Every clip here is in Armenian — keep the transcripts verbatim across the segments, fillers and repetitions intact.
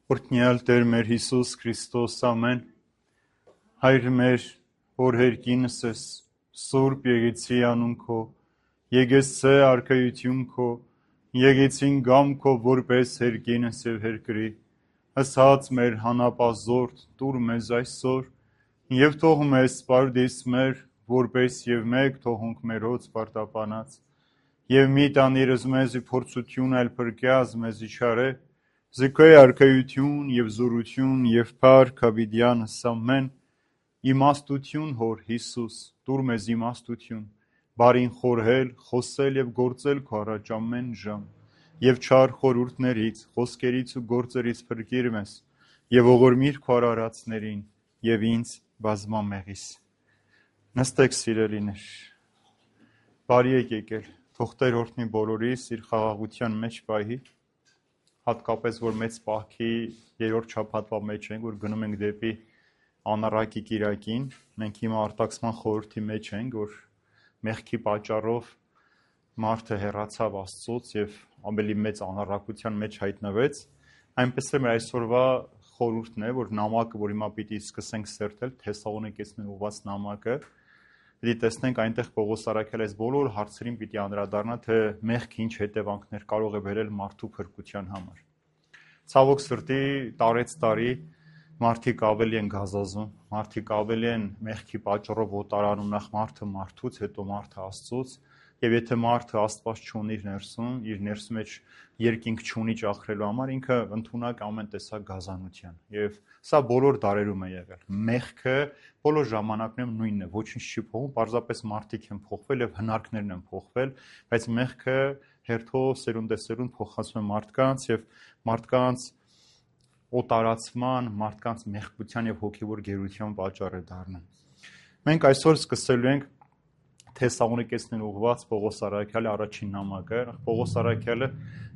Օրհնյալ Տեր մեր Հիսուս Քրիստոս ամեն, Հայր մեր, որ հերկինս ես, Սուրբ եկեցի անուն քո, եկեցե արքայություն քո, եկեցին գամ քո որպես հերկինս եւ հերկրի, հսած մեր հանապազորդ, տուր մեզ այսօր, եւ թող մեզ սպարդիս մեր, որպես եւ մեկ թողունք մերոց պարտապանած, եւ մի տանիրս մեզի փորձություն այլ փրկյազ մեզի չարե, Զիքոյ արքայություն եւ զորություն եւ փառք հավիդյանս ամեն, իմաստություն հոր Հիսուս, տուր մեզ իմաստություն, բարին խորհել, խոսել եւ գործել քո առաջ ամեն ժամ, եւ չար խորհուրդներից, խոսքերից ու գործերից փրկիր մեզ, եւ ողորմիր քո արարածներին եւ ինձ բազմամեղիս։ Նստեք սիրելիներ, բարի եք եկել, թող Տեր օրհնի բոլորիս իր խաղաղության մեջ պահի, հատկապես որ մեծ պահքի երրորդ շաբաթվա մեջ ենք, որ գնում ենք դեպի անառակի կիրակին, մենք հիմա արտաքսման խորհրդի մեջ ենք, որ մեղքի պատճառով մարդը հեռացավ Աստծուց եւ ավելի մեծ անառակության մեջ հայտնվեց, այնպես էլ մեր այսօրվա խորհուրդն է, որ նամակը, որ հիմա պիտի սկսենք սերտել, Թեսաղոնիկեցիներին ուղղված նամակը, պիտի տեսնենք այնտեղ Պողոս առաքյալը այս բոլոր հարցերին պիտի անդրադառնա, թե մեղքը ինչ հետևանքներ կարող է բերել մարդու փրկության համար։ Ցավոք սրտի տարեց տարի մարդիկ ավելի են գազազում, մարդիկ ավելի են մեղքի պատճառով օտարանում, նախ մարդը մարդուց, հետո մարդը Աստծուց, եւ եթե մարդը Աստված չունի իր ներսում, իր ներսի մեջ երկինք չունի ճախրելու համար, ինքը ընդունակ ամեն տեսակ գազանության։ Եվ սա բոլոր դարերում է եղել։ Մեղքը բոլոր ժամանակներում նույնն է, ոչինչ չի փոխվում, պարզապես մարդիկ են փոխվել եւ հնարքներն են փոխվել, բայց մեղքը հերթով սերունդեսերունդ փոխանցում է մարդկանց եւ մարդկանց օտարացման, մարդկանց մեղքության եւ հոգեվոր գերության պատճառ է դառնում։ Մենք այսօր սկսելու ենք Թեսաղոնիկեցիներին ուղղված Պողոս առաքյալի առաջին նամակը։ Պողոս առաքյալը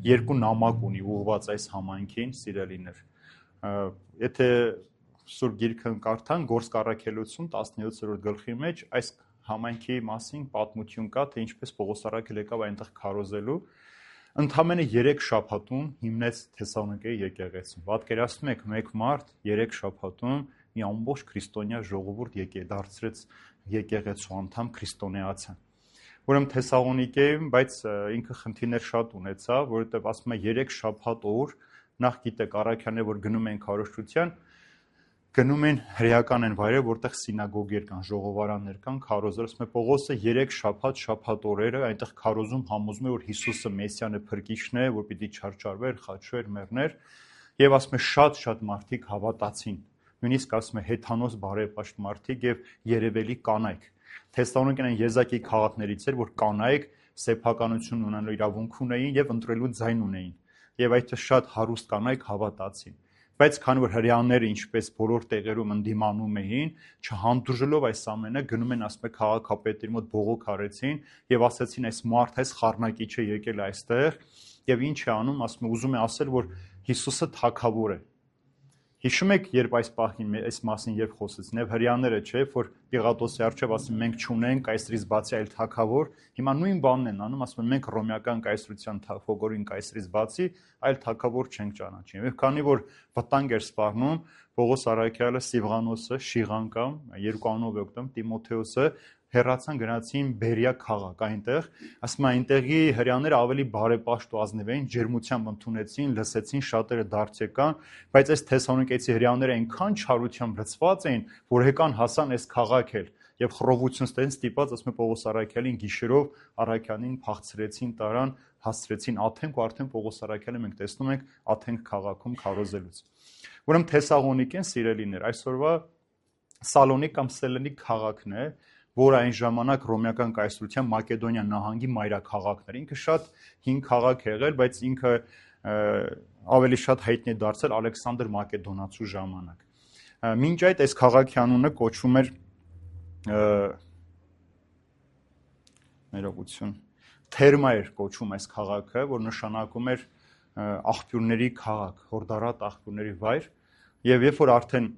երկու նամակ ունի ուղղված այս համայնքին, սիրելիներ։ Եթե Սուրբ Գիրքը կարդան, Գործք առաքելություն տասնյոթերորդ գլխի մեջ այս համայնքի մասին պատմություն կա, թե ինչպես Պողոս առաքյալը եկավ այնտեղ քարոզելու։ Ընդամենը երեք շաբաթում հիմնեց Թեսաղոնիկեի եկեղեցին։ Պատկերացնում եք, մեկ մարդ երեք շաբաթում մի ամբողջ քրիստոնյա ժողովուրդ եկե դարձրեց եկեղեցու անդամ քրիստոնեացան։ Ուրեմն Թեսաղոնիկեում, բայց ինքը խնդիրներ շատ ունեցավ, որովհետև ասում է երեք շաբաթ օր, նախ գիտեք առաքյալները, որ գնում են քարոզչության, գնում են հրեական են վայրեր, որտեղ սինագոգեր կան, ժողովարաններ կան, քարոզել, ասում է Պողոսը երեք շաբաթ շաբաթ օրերը այնտեղ քարոզում համոզում է, որ Հիսուսը Մեսիան է, փրկիչն է, որ պիտի չարչարվեր, խաչվեր, մեռներ, եւ ասում է շատ-շատ մարդիկ հավատացին։ Նույնիսկ ասում է հեթանոս բարեպաշտ մարդիկ եւ երևելի կանայք։ Թեսաղոնիկեն եզակի քաղաքներից էր, որ կանայք սեփականություն ունենալու իրավունք ունեին եւ ընտրելու ձայն ունեին։ Եվ այդ շատ հարուստ կանայք հավատացին։ Բայց քանի որ հրեաները ինչպես բոլոր տեղերում ընդդիմանում էին, չհանդուրժելով այս ամենը, գնում են ասում է քաղաքապետերի մոտ բողոք արեցին եւ ասացին այս մարդը այս խառնակիչը եկել այստեղ եւ ինչ է անում, ասում է ուզում է ասել, որ Հիսուսը թագավոր է։ Հիշում եք, երբ այս պահին այս մասին երբ խոսեցին, եւ հրեաները չէ, որ Պիղատոսի առջև ասում մենք չունենք կայսրից բացի այլ թագավոր, հիմա նույն բանն են անում, ասում են մենք ռոմեական կայսրության թագավորին կայսրից բացի այլ թագավոր չենք ճանաչում։ Եվ քանի որ վտանգ էր սպառնում, Պողոս առաքյալը, Սիվղանոսը, Շիղանկամ, երկու անունով է օգտվում, Տիմոթեոսը հեռացան գնացին Բերիա քաղաք այնտեղ, ասում է այնտեղի հրեաները ավելի բարեպաշտ ու ազնիվ էին, ջերմությամբ ընդունեցին, լսեցին, շատերը դարձ եկան, բայց այս Թեսաղոնիկեցի հրեաները այնքան չարությամբ լցված էին, որ եկան հասան այս քաղաք էլ եւ խռովություն ստեն ստիպած, ասում է Պողոս առաքյալին գիշերով առաքյանին փախցրեցին, տարան, հասցրեցին Աթենք ու արդեն Պողոս առաքյալը մենք տեսնում ենք Աթենք քաղաքում քարոզելուց։ Ուրեմն Թեսաղոնիկեն սիրելիներ, այսօրվա Սալոնիկ կամ Սելենիկ քաղաքն է, որ այն ժամանակ ռոմեական կայսրության Մակեդոնիա նահանգի մայրաքաղաքն էր։ Ինքը շատ հին քաղաք է եղել, բայց ինքը ավելի շատ հայտնի է դարձել Ալեքսանդր Մակեդոնացու ժամանակ։ Մինչ այդ այս քաղաքի անունը կոչվում էր ներողություն Թերմա էր կոչվում այս քաղաքը, որ նշանակում էր աղբյուրների քաղաք, հորդառատ աղբյուրների վայր, եւ երբ որ արդեն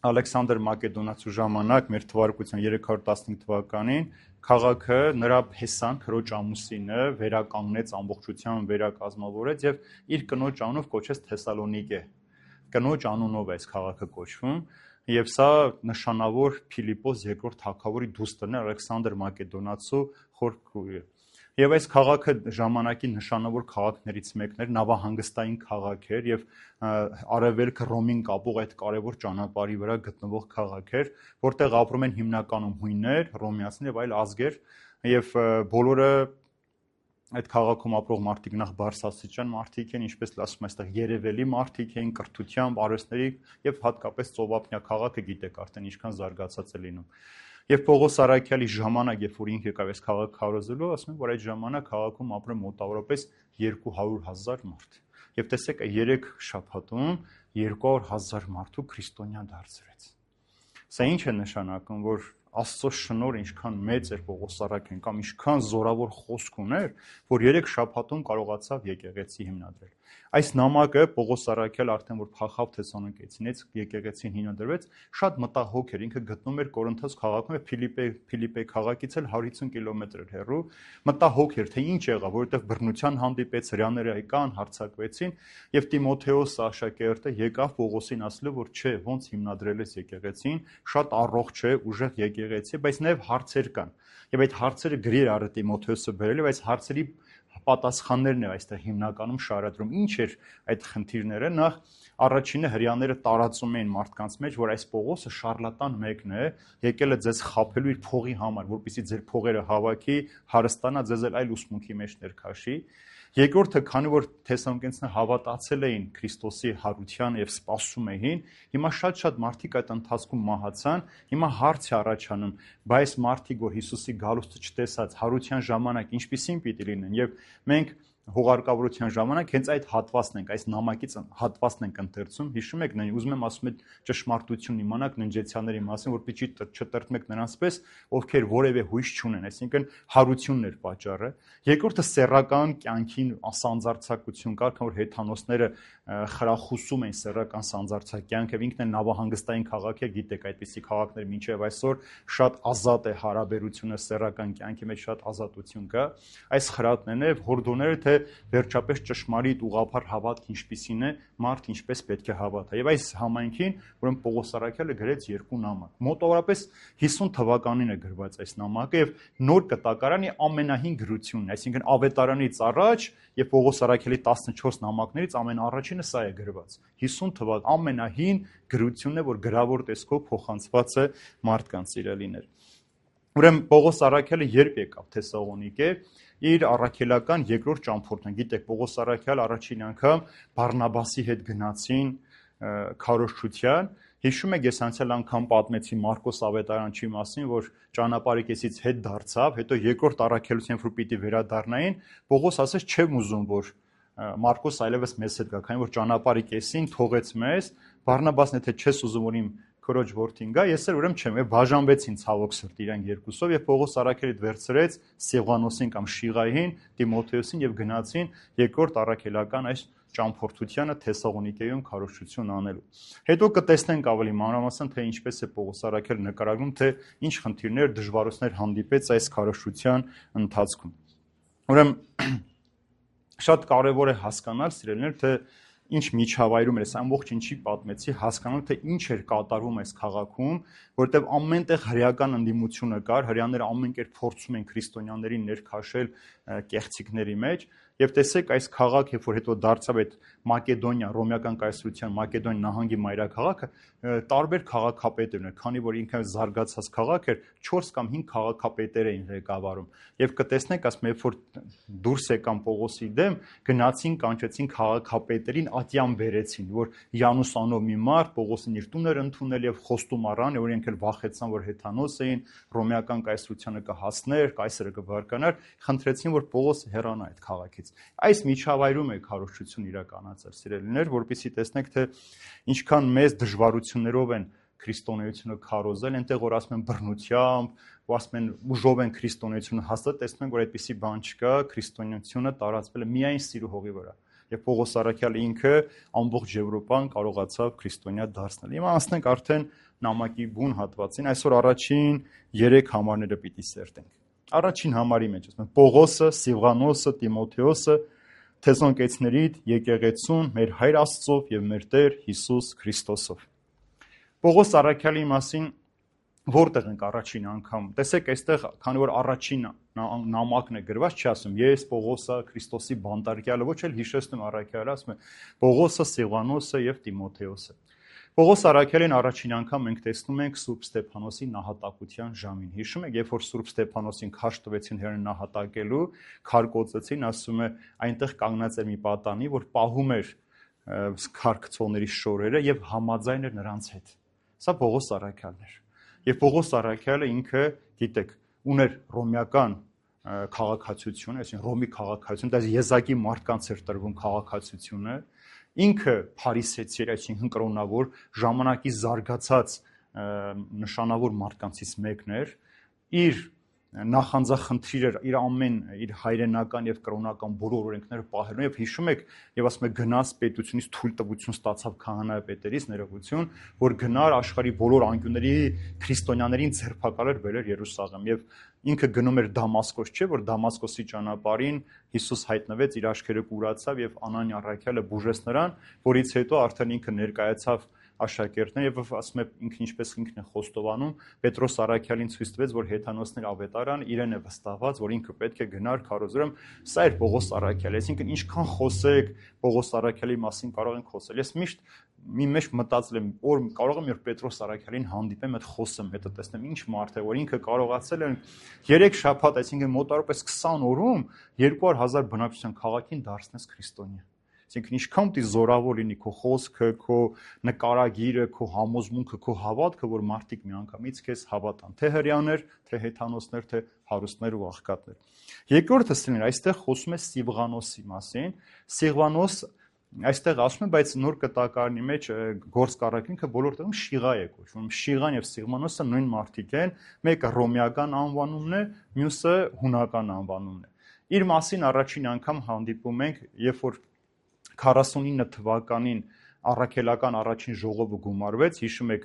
Ալեքսանդր Մակեդոնացու ժամանակ մեր թվարկության երեք հարյուր տասնհինգ թվականին քաղաքը նրա Փեսան քրոջ ամուսինը վերականգնեց ամբողջությամբ վերակազմավորեց եւ իր կնոջ անունով կոչեց Թեսալոնիկե, կնոջ անունով է այս քաղաքը կոչվում, եւ սա նշանավոր Փիլիպոս երկրորդ թագավորի դուստրն է, Ալեքսանդր Մակեդոնացու խորքույրը։ Եվ այս քաղաքը ժամանակի նշանավոր քաղաքներից մեկն էր, նավահանգստային քաղաք էր եւ արևելքը Ռոմին կապող այդ կարևոր ճանապարհի վրա գտնվող քաղաք էր, որտեղ ապրում են հիմնականում հույներ, ռոմեացիներ եւ այլ ազգեր, եւ բոլորը այդ քաղաքում ապրող մարդիկ նախ բարձրաստիճան մարդիկ են, ինչպես ասում են, այստեղ երևելի մարդիկ են, կրթությամբ, արվեստների եւ հատկապես ծովափնյա քաղաքը գիտեք արդեն ինչքան զարգացած է լինում։ Եվ Պողոս Արաքյալի ժամանակ, երբ որ ինքը եկավ այս քաղաքը քարոզելու, ասում են, որ այդ ժամանակ քաղաքում ապրում մոտավորապես երկու հարյուր հազար մարդ։ Եվ տեսեք, երեք շաբաթում երկու հարյուր հազար մարդու քրիստոնյա դարձրեց։ Սա ինչ է նշանակում, որ Աստծո շնորհը ինչքան մեծ էր Պողոս Արաքյալին կամ ինչքան զորավոր խոսք ուներ, որ երեք շաբաթում կարողացավ եկեղեցի հիմնադրել։ Այս նամակը Պողոս Արաքյալը արդեն որ փախավ Թեսալոնիկեցիից, եկեղեցին հիմնադրվեց, շատ մտահոգ էր, ինքը գտնում էր Կորինթոս քաղաքում եւ Փիլիպե Փիլիպե քաղաքից էլ հարյուր հիսուն կիլոմետր էր հեռու, մտահոգ էր, թե ինչ եղավ, որովհետեւ բռնության հանդիպեց, հրեաները եկան, հարձակվեցին եւ Տիմոթեոս աշակերտը եկավ Պողոսին ասելով, որ չէ, ոնց հիմնադրել ես եկեղեցին, շատ առողջ է, ուժեղ եկեղեցի, բայց նաև հարցեր կան։ Եվ այդ հարցերը գրի էր առ Տիմոթեոսը բերել եւ այս հարցերի պատասխաններն է այստեղ հիմնականում շարադրում։ Ինչ էր այդ խնդիրները։ Նախ առաջինը հрьяաները տարածում էին մարդկանց մեջ, որ այս Պողոսը շարլատան մեկն է, եկել է ձեզ խաբելու իր փողի համար, որպեսզի ձեր փողերը հավաքի, հարստանա, ձեզ այլ ուսմունքի մեջ ներքաշի։ Երկրորդը, քանի որ Թեսալոնիկեցիները հավատացել էին Քրիստոսի հարությանը եւ սպասում էին, հիմա շատ-շատ մարդիկ այդ ընթացքում մահացան, հիմա հարց է առաջանում, բայց մարդիկ, որ Հիսուսի գալուստը չտեսած հարության ժամանակ ինչպիսին պիտի լինեն, եւ մենք հուղարկավորության ժամանակ հենց այդ հատվածն ենք, այս նամակից հատվածն ենք ընթերցում, հիշում եք, ուզում եմ ասում եմ ճշմարտություն իմանաք ննջեցյանների մասին, որպեսզի չտրտմեք նրանց պես, ովքեր որևէ հույս չունեն, այսինքն հարությունն էր պատճառը։ Երկրորդը սեռական կյանքին սանձարձակություն կար, քան որ հեթանոսները խրախուսում են սեռական սանձարձակ կյանք, եւ ինքն է նավահանգստային քաղաք է, գիտեք, այդպիսի քաղաքներ մինչեւ այսօր շատ ազատ է հարաբերությունը սեռական կյանքի մեջ, շատ ազատություն կա։ Այս խրատներն է հորդոները, թե վերջապես ճշմարիտ ուղղափառ հավատք ինչպիսին է, մարդ ինչպես պետք է հավատա։ Եվ այս համայնքին, ուրեմն Պողոս Արաքյալը գրեց երկու նամակ։ Մոտավորապես հիսուն թվականին է գրված այս նամակը եւ նոր կտակարանի ամենահին գրությունն է, այսինքն Ավետարանից առաջ եւ Պողոս Արաքյալի տասնչորս նամակներից ամենաառաջինը սա է գրված։ հիսուն թվական ամենահին գրությունն է, որ գրավոր տեսքով փոխանցված է մարդկանց սիրելիներ։ Ուրեմն Պողոս Արաքյալը երբ եկավ Թեսաղոնիկե, իր առաքելական երկրորդ ճամփորդն, գիտեք, Պողոս Արաքյալ առաջին անգամ Բարնաբասի հետ գնացին քարոզչության։ Հիշում եք, ես անցյալ անգամ պատմեցի Մարկոս Ավետարանչի մասին, որ ճանապարհիկեսից հետ դարձավ, հետո երկրորդ առաքելության որ պիտի վերադառնային, Պողոս ասաց, չեմ ուզում, որ Մարկոս այլևս մեզ հետ գա, քանի որ ճանապարհիկեսին թողեց մեզ, Բարնաբասն եթե չես ուզում, որ իմ քորոջ որդին գա, ես էլ ուրեմն չեմ, եւ բաժանվեցին ցավոք սրտի իրանք երկուսով եւ Պողոս Արաքելիդ վերցրեց Սիղանոսին կամ Շիղային, Տիմոթեոսին եւ գնացին երկրորդ առաքելական այս ճամփորդությանը Թեսաղոնիկեում քարոզչություն անելու։ Հետո կտեսնենք ավելի մանրամասն, թե ինչպես է Պողոս Արաքելը նկարագրում, թե ինչ խնդիրներ, դժվարություններ հանդիպեց այս քարոզչության ընթացքում։ Ուրեմն շատ կարևոր է հասկանալ, սիրելիներ, թե ինչ միջավայրում էր, այս ամբողջ ինչի պատմեցի, հասկանալ, թե ինչ էր կատարվում այս քաղաքում, որտեղ ամենտեղ հրեական ընդդիմությունը կար, հրեաները ամեն կերպ փորձում են քրիստոնյաներին ներքաշել կեղծիքների մեջ, եւ տեսեք այս քաղաք, երբ որ հետո դարձավ այդ Մակեդոնիա, ռոմեական կայսրության Մակեդոնիա նահանգի մայրաքաղաքը, տարբեր քաղաքապետեր ուներ, քանի որ ինքը զարգացած քաղաք էր, չորս կամ հինգ քաղաքապետեր էին ղեկավարում։ Եվ կտեսնեք, ասում երբ որ դուրս եկան Պողոսի դեմ, գնացին կանչեցին քաղաքապետերին, ատյան բերեցին, որ Յանուս անով մի մարդ Պողոսին իր տուն էր ընդունել եւ խոստում առան, որ իրենք էլ վախեցան, որ հեթանոս էին, ռոմեական կայսրությանը կհասներ, կայսրը կվարկանար, խնդրեցին, որ Պողոսը հեռանա այդ քաղաքից։ Այս միջավայրում է քարոզչություն իրականացել, սիրելիներ, որպեսզի տեսնեք, թե ինչքան մեծ դժվարություններով են քրիստոնեությունը քարոզել, այնտեղ որ ասում են բռնությամբ, ու ասում են ուժով են քրիստոնեությունը հաստատ, տեսնում ենք, որ այդպիսի բան չկա, քրիստոնեությունը տարածվել է միայն սիրո հողի վրա։ Եվ Պողոս Արաքյալը ինքը ամբողջ Եվրոպան կարողացավ քրիստոնյա դարձնել։ Հիմա անցնենք արդեն նամակի բուն հատվածին, այսօր առաջին երեք համարները պիտի սերտենք։ Առաջին համարի մեջ ասում են Պողոսը, Սիղանոսը, Տիմոթեոսը Թեսոնակեցիներիդ եկեղեցուն մեր Հայր Աստծով եւ մեր Տեր Հիսուս Քրիստոսով։ Պողոս առաքյալի մասին որտեղ ենք առաջին անգամ։ Տեսեք, այստեղ քանի որ առաջին նամակն է գրված, չի ասում ես Պողոսը Քրիստոսի բանտարկյալը, ոչ էլ հիշեցնում առաքյալը, ասում է Պողոսը, Սիղանոսը եւ Տիմոթեոսը։ Պողոս առաքյալին առաջին անգամ մենք տեսնում ենք Սուրբ Ստեփանոսի նահատակության ժամին։ Հիշում եք, երբ որ Սուրբ Ստեփանոսին քաշ տվեցին հերն նահատակելու, քար կոծեցին, ասում է այնտեղ կանգնած էր մի պատանի, որ պահում էր քարքցողների շորերը եւ համաձայն էր նրանց հետ։ Սա Պողոս առաքյալն էր։ Եվ Պողոս առաքյալը ինքը, գիտեք, ուներ ռոմեական քաղաքացիություն, այսինքն Ռոմի քաղաքացիություն, դա եզակի մարդկանց էր տրվում քաղաքացիությունը, ինքը փարիսեցի էր, այսինքն կրոնավոր, ժամանակի զարգացած նշանավոր մարդկանցից մեկն էր, իր նախանձախնդիր էր իր ամեն իր հայրենական եւ կրոնական բոլոր օրենքները պահելու եւ հիշում եք եւ ասում եք գնաց պետությունից թույլտվություն ստացավ քահանայապետերից ներողություն որ գնար աշխարհի բոլոր անկյունների քրիստոնյաներին ձերբակալեր բերեր Երուսաղեմ եւ ինքը գնում էր Դամասկոս չէ որ Դամասկոսի ճանապարհին Հիսուս հայտնվեց իր աչքերը կուրացավ եւ Անանիա առաքյալը բուժեց նրան որից հետո արդեն ինքը ներկայացավ աշակերտներ եւ ասում է ինքն ինչպես ինքն է խոստովանում Պետրոս առաքյալին ցույց տվեց որ հեթանոսներ ավետարան իրեն է վստահված որ ինքը պետք է գնար քարոզրում սա էր Պողոս առաքյալը այսինքն ինչքան խոսեք Պողոս առաքյալի մասին կարող ենք խոսել ես միշտ մի մեջ մտածել եմ որ կարող եմ որ Պետրոս առաքյալին հանդիպեմ այդ խոսեմ հետո տեսնեմ ինչ մարդ է որ ինքը կարողացել է երեք շաբաթ այսինքն մոտավորապես քսան օրում երկու հազար բնակչության քաղաքին դարձնես քրիստոնյա Այսինքն ինչքան պիտի զորավոր լինի քո խոսքը, քո նկարագիրը, քո համոզմունքը, քո հավատքը, որ մարդիկ միանգամից քեզ հավատան, թե հрьяաներ, թե հեթանոսներ, թե հարուստներ ու աղքատներ։ Երկրորդը սին այստեղ խոսում է Սիղանոսի մասին։ Սիղանոս այստեղ ասում է, բայց նոր կտակարանի մեջ գործ կառակինքը բոլոր տեղում Շիղա է կոչվում։ Շիղան եւ Սիղանոսը նույն մարդիկ են, մեկը ռոմեական անվանումն է, մյուսը հունական անվանումն է։ Իր մասին առաջին անգամ հանդիպում ենք, երբ որ քառասունինը թվականին առաքելական առաջին ժողովը գումարվեց, հիշում եք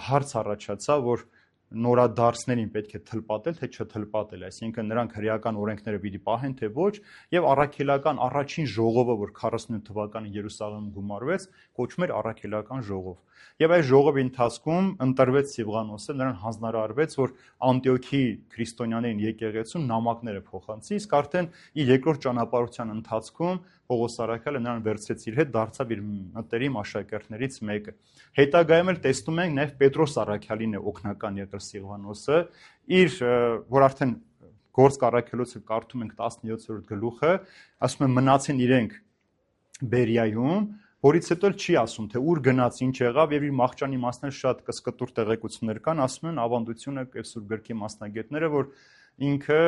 հարց առաջացավ, որ նորադարձներին պետք է թլպատել, թե չթլպատել, այսինքն նրանք հրեական օրենքները պիտի պահեն, թե ոչ, եւ առաքելական առաջին ժողովը, որ քառասունինը թվականին Երուսաղեմում գումարվեց, կոչվում էր առաքելական ժողով։ Եվ այս ժողովի ընթացքում ընտրվեց Սիղանոսը, նրան հանձնարարվեց, որ Անտիոքի քրիստոնյաներին եկեղեցում նամակները փոխանցի, իսկ արդեն իր երկրորդ ճանապարհության ընթացքում Պողոս առաքյալը նրան վերցրեց իր հետ, դարձավ իր մտերիմ աշակերտներից մեկը։ Հետագայում էլ տեսնում ենք նաև Պետրոս առաքյալին է օգնական եղել Սիղանոսը, իր որ արդեն գործ առաքելոցը կարդում ենք տասնյոթերորդ գլուխը, ասում է մնացին իրենք Բերիայում, որից հետո չի ասում, թե ուր գնաց, ինչ եղավ եւ իր մահճանի մասներ շատ կսկտուր տեղեկություններ կան, ասում են ավանդությունը եւ Սուրբ գրքի մասնագետները, որ ինքը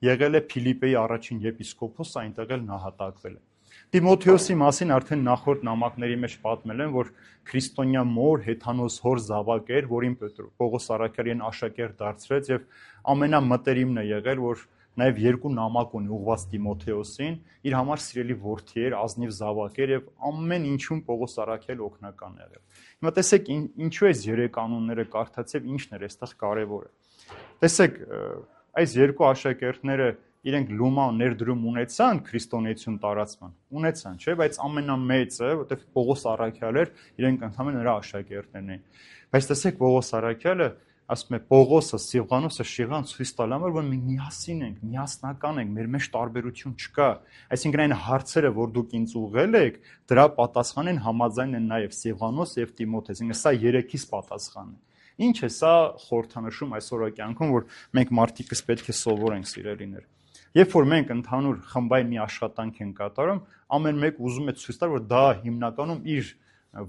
եղել է Փիլիպպեի առաջին եպիսկոպոս, այնտեղ էլ նահատակվել է։ Տիմոթեոսի մասին արդեն նախորդ նամակների մեջ պատմել են, որ քրիստոնյա մոր հեթանոս հոր զավակ էր, որին Պողոս առաքյալին աշակերտ դարձրեց եւ ամենամտերիմն է եղել, որ նաև երկու նամակ ունի ուղված Տիմոթեոսին, իր համար սիրելի որդի էր, ազնիվ զավակ էր եւ ամեն ինչում Պողոս առաքյալը օգնական է եղել։ Հիմա տեսեք ինչու է երեք կանոնները կարդաց եւ ինչն էր այստեղ կարեւորը։ Տեսեք, այս երկու աշակերտները իրենք լումա ներդրում ունեցան քրիստոնեություն տարածման, ունեցան, չէ, բայց ամենամեծը, որտեղ Պողոս առաքյալը էր, իրենք ընդհանրապես նրա աշակերտներն էին։ Բայց տեսեք Պողոս առաքյալը ասում է Պողոսը, Սիղանոսը, Շիղան ցույց տալ համար, որ մենք միասին ենք, միասնական ենք, մեր մեջ տարբերություն չկա։ Այսինքն այն հարցերը, որ դուք ինձ ուղղել եք, դրա պատասխանին համաձայն են նաև Սիղանոս եւ Տիմոթեոս։ Այսինքն սա երեքից պատասխանն է։ Ինչ է սա խորհրդանշում այսօրվա կյանքում, որ մենք մարդիկս պետք է սովորենք սիրելիներ։ Երբ որ մենք ընդհանուր խմբային մի աշխատանք ենք կատարում, ամեն մեկ ուզում է ցույց տալ, որ դա հիմնականում իր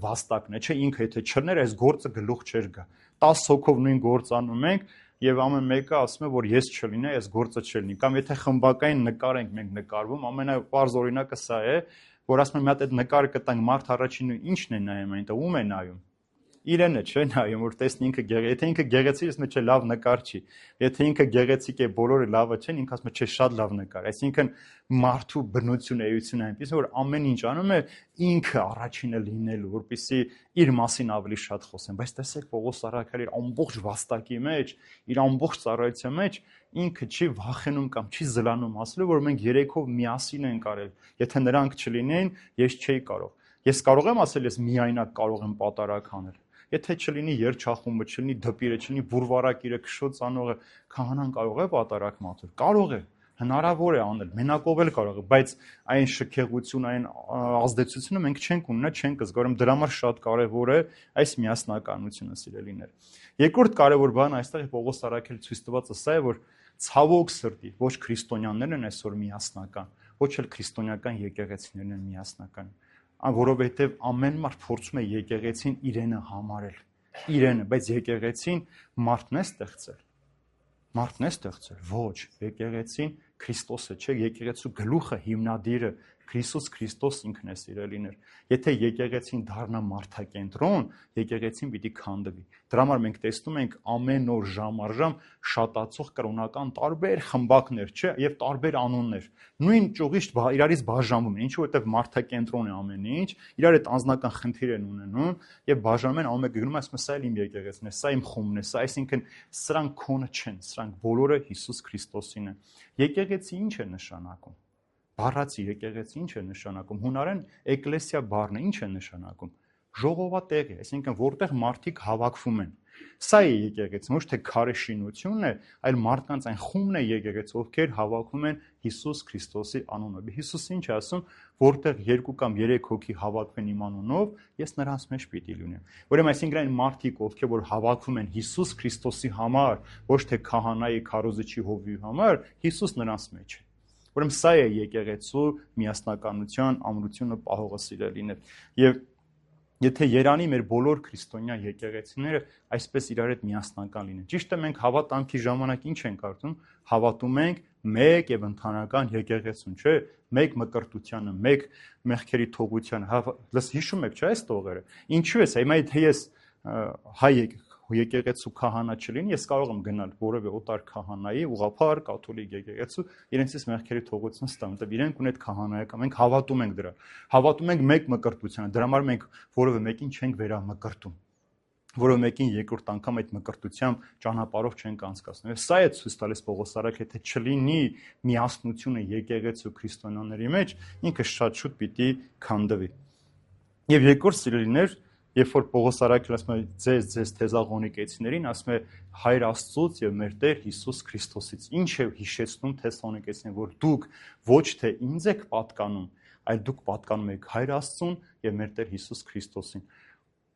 վաստակն է, չէ, ինքը եթե չլներ, այս գործը գլուխ չէր գա։ տասը հոգով նույն գործ անում ենք եւ ամեն մեկը ասում է, որ ես չլինի, այս գործը չլինի։ Կամ եթե խմբակային նկար ենք մենք նկարվում, ամենապարզ օրինակը սա է, որ ասում եմ մի հատ այդ նկարը կտանք մարդ առաջինը ինչն է նայում այնտեղ, ում է նայում։ իրենը չէ նայում, որ տեսնի ինքը գեղեցիկ, եթե ինքը գեղեցիկ է, ասում է չէ լավ նկար չի։ Եթե ինքը գեղեցիկ է, բոլորը լավը չեն, ինքը ասում է չէ շատ լավ նկար։ Այսինքն մարդու բնությունը, էությունը այնպես որ ամեն ինչ անում է ինքը առաջինը լինելու, որպեսզի իր մասին ավելի շատ խոսեն։ Բայց տեսեք Պողոս առաքյալի ամբողջ վաստակի մեջ, իր ամբողջ ծառայության մեջ ինքը չի վախենում կամ չի զլանում ասելու, որ մենք երեքով միասին ենք արել։ Եթե նրանք չլինեն, ես չէի կարող։ Ես կարող եմ ասել, ես միայնակ կարող եմ պատարակ անել։ Եթե չլինի երջախումբը, չլինի դպիրը, չլինի բուրվարակիրը, քշոց անողը, քահանան կարող է պատարակ մատել։ Կարող է, հնարավոր է անել, մենակով էլ կարող է, բայց այն շքեղություն, այն ազդեցությունը մենք չենք ունենա, չենք զգորում, դրա համար շատ կարևոր է այս միասնականությունը, սիրելիներ։ Երկրորդ կարևոր բանը այստեղ Պողոս առաքյալը ցույց տվածը սա է, որ ցավոք սրտի ոչ քրիստոնյաներն են այսօր միասնական, ոչ էլ քրիստոնեական եկեղեցիներն են միասնական, որովհետև ամեն մարդ փորձում է եկեղեցին իրենը համարել, իրենը, բայց եկեղեցին մարդն է ստեղծել, մարդն է ստեղծել, ոչ, եկեղեցին Քրիստոսը չէ, եկեղեցու գլուխը, հիմնադիրը Քրիստոս Քրիստոս ինքն է, սիրելիներ։ Եթե եկեղեցին դառնա մարդակենտրոն, եկեղեցին պիտի քանդվի։ Դրա համար մենք տեսնում ենք ամեն օր ժամ առ ժամ շատացող կրոնական տարբեր խմբակներ, չէ, եւ տարբեր անուններ։ Նույն ճյուղից իրարից բաժանվում են, ինչու որտեվ մարդակենտրոն է ամեն ինչ, իրար հետ անձնական խնդիր են ունենում եւ բաժանում են, ամեն մեկը գնում է, ասում է սա էլ իմ եկեղեցին է, սա իմ խումբն է, սա այսինքն սրանք քոնը չեն, սրանք բոլորը Հիսուս Քրիստոսին են։ Եկեղեցի ինչ է նշանակում։ Բառացի եկեղեցի ինչ է նշանակում։ Հունարեն էկլեսիա բառն է, ինչ է նշանակում։ Ժողովատեղ է, այսինքն որտեղ մարդիկ հավաքվում են։ Սա է եկեղեցին, ոչ թե քարե շինությունն է, այլ մարդկանց այն խումբն է եկեղեցի, ովքեր հավաքվում են Հիսուս Քրիստոսի անունով։ Հիսուսը ինչ է ասում, որտեղ երկու կամ երեք հոգի հավաքվեն իմ անունով, ես նրանց մեջ պիտի լինեմ։ Ուրեմն այսինքն այն մարդիկ, ովքեր որ հավաքվում են Հիսուս Քրիստոսի համար, ոչ թե քահանայի, քարոզիչի, հովվի համար, Հիսուս նրանց մեջ է։ Ուրեմն սա է եկեղեցու միասնականության ամրությունը պահողը, սիրելիներ։ Եվ եթե Երանի մեր բոլոր քրիստոնյա եկեղեցիները այսպես իրար հետ միասնական լինեն։ Ճիշտ է, մենք հավատամքի ժամանակ ինչ ենք արվում, հավատում ենք մեկ եւ ընդհանրական եկեղեցուն, չէ՞, մեկ մկրտությանը, մեկ մեղքերի թողությանը։ Լս հիշում եք, չէ՞, այս տողերը։ Ինչու է սա։ Հիմա եթե ես հայ եկեղեցու քահանա չլինի, ես կարող եմ գնալ որևէ օտար քահանայի, ուղղափառ, կաթոլիկ եկեղեցու, իրենցից մեղքերի թողություն ստանալ, որտեղ իրենք ունեն քահանայական, մենք հավատում ենք դրա։ Հավատում ենք մեկ մկրտությանը, դրա համար մենք որևէ մեկին չենք վերամկրտում, որևէ մեկին երկրորդ անգամ այդ մկրտությամբ ճանապարհով չենք անցկացնում։ Սա է ցույց տալիս Պողոս առաքյալը, եթե չլինի միասնությունը եկեղեցու քրիստոնյաների մեջ, ինքը շատ շուտ պիտի քանդվի։ Եվ երկրորդ սիրելիներ, երբ որ Պողոս առաքյալը ասում է ձեզ ձեզ թեզաղոնիկեցիներին, ասում է Հայր Աստծուց եւ մեր Տեր Հիսուս Քրիստոսից։ Ինչ է հիշեցնում թեսաղոնիկեցիներին, որ դուք ոչ թե ինձ եք պատկանում, այլ դուք պատկանում եք Հայր Աստծուն եւ մեր Տեր Հիսուս Քրիստոսին։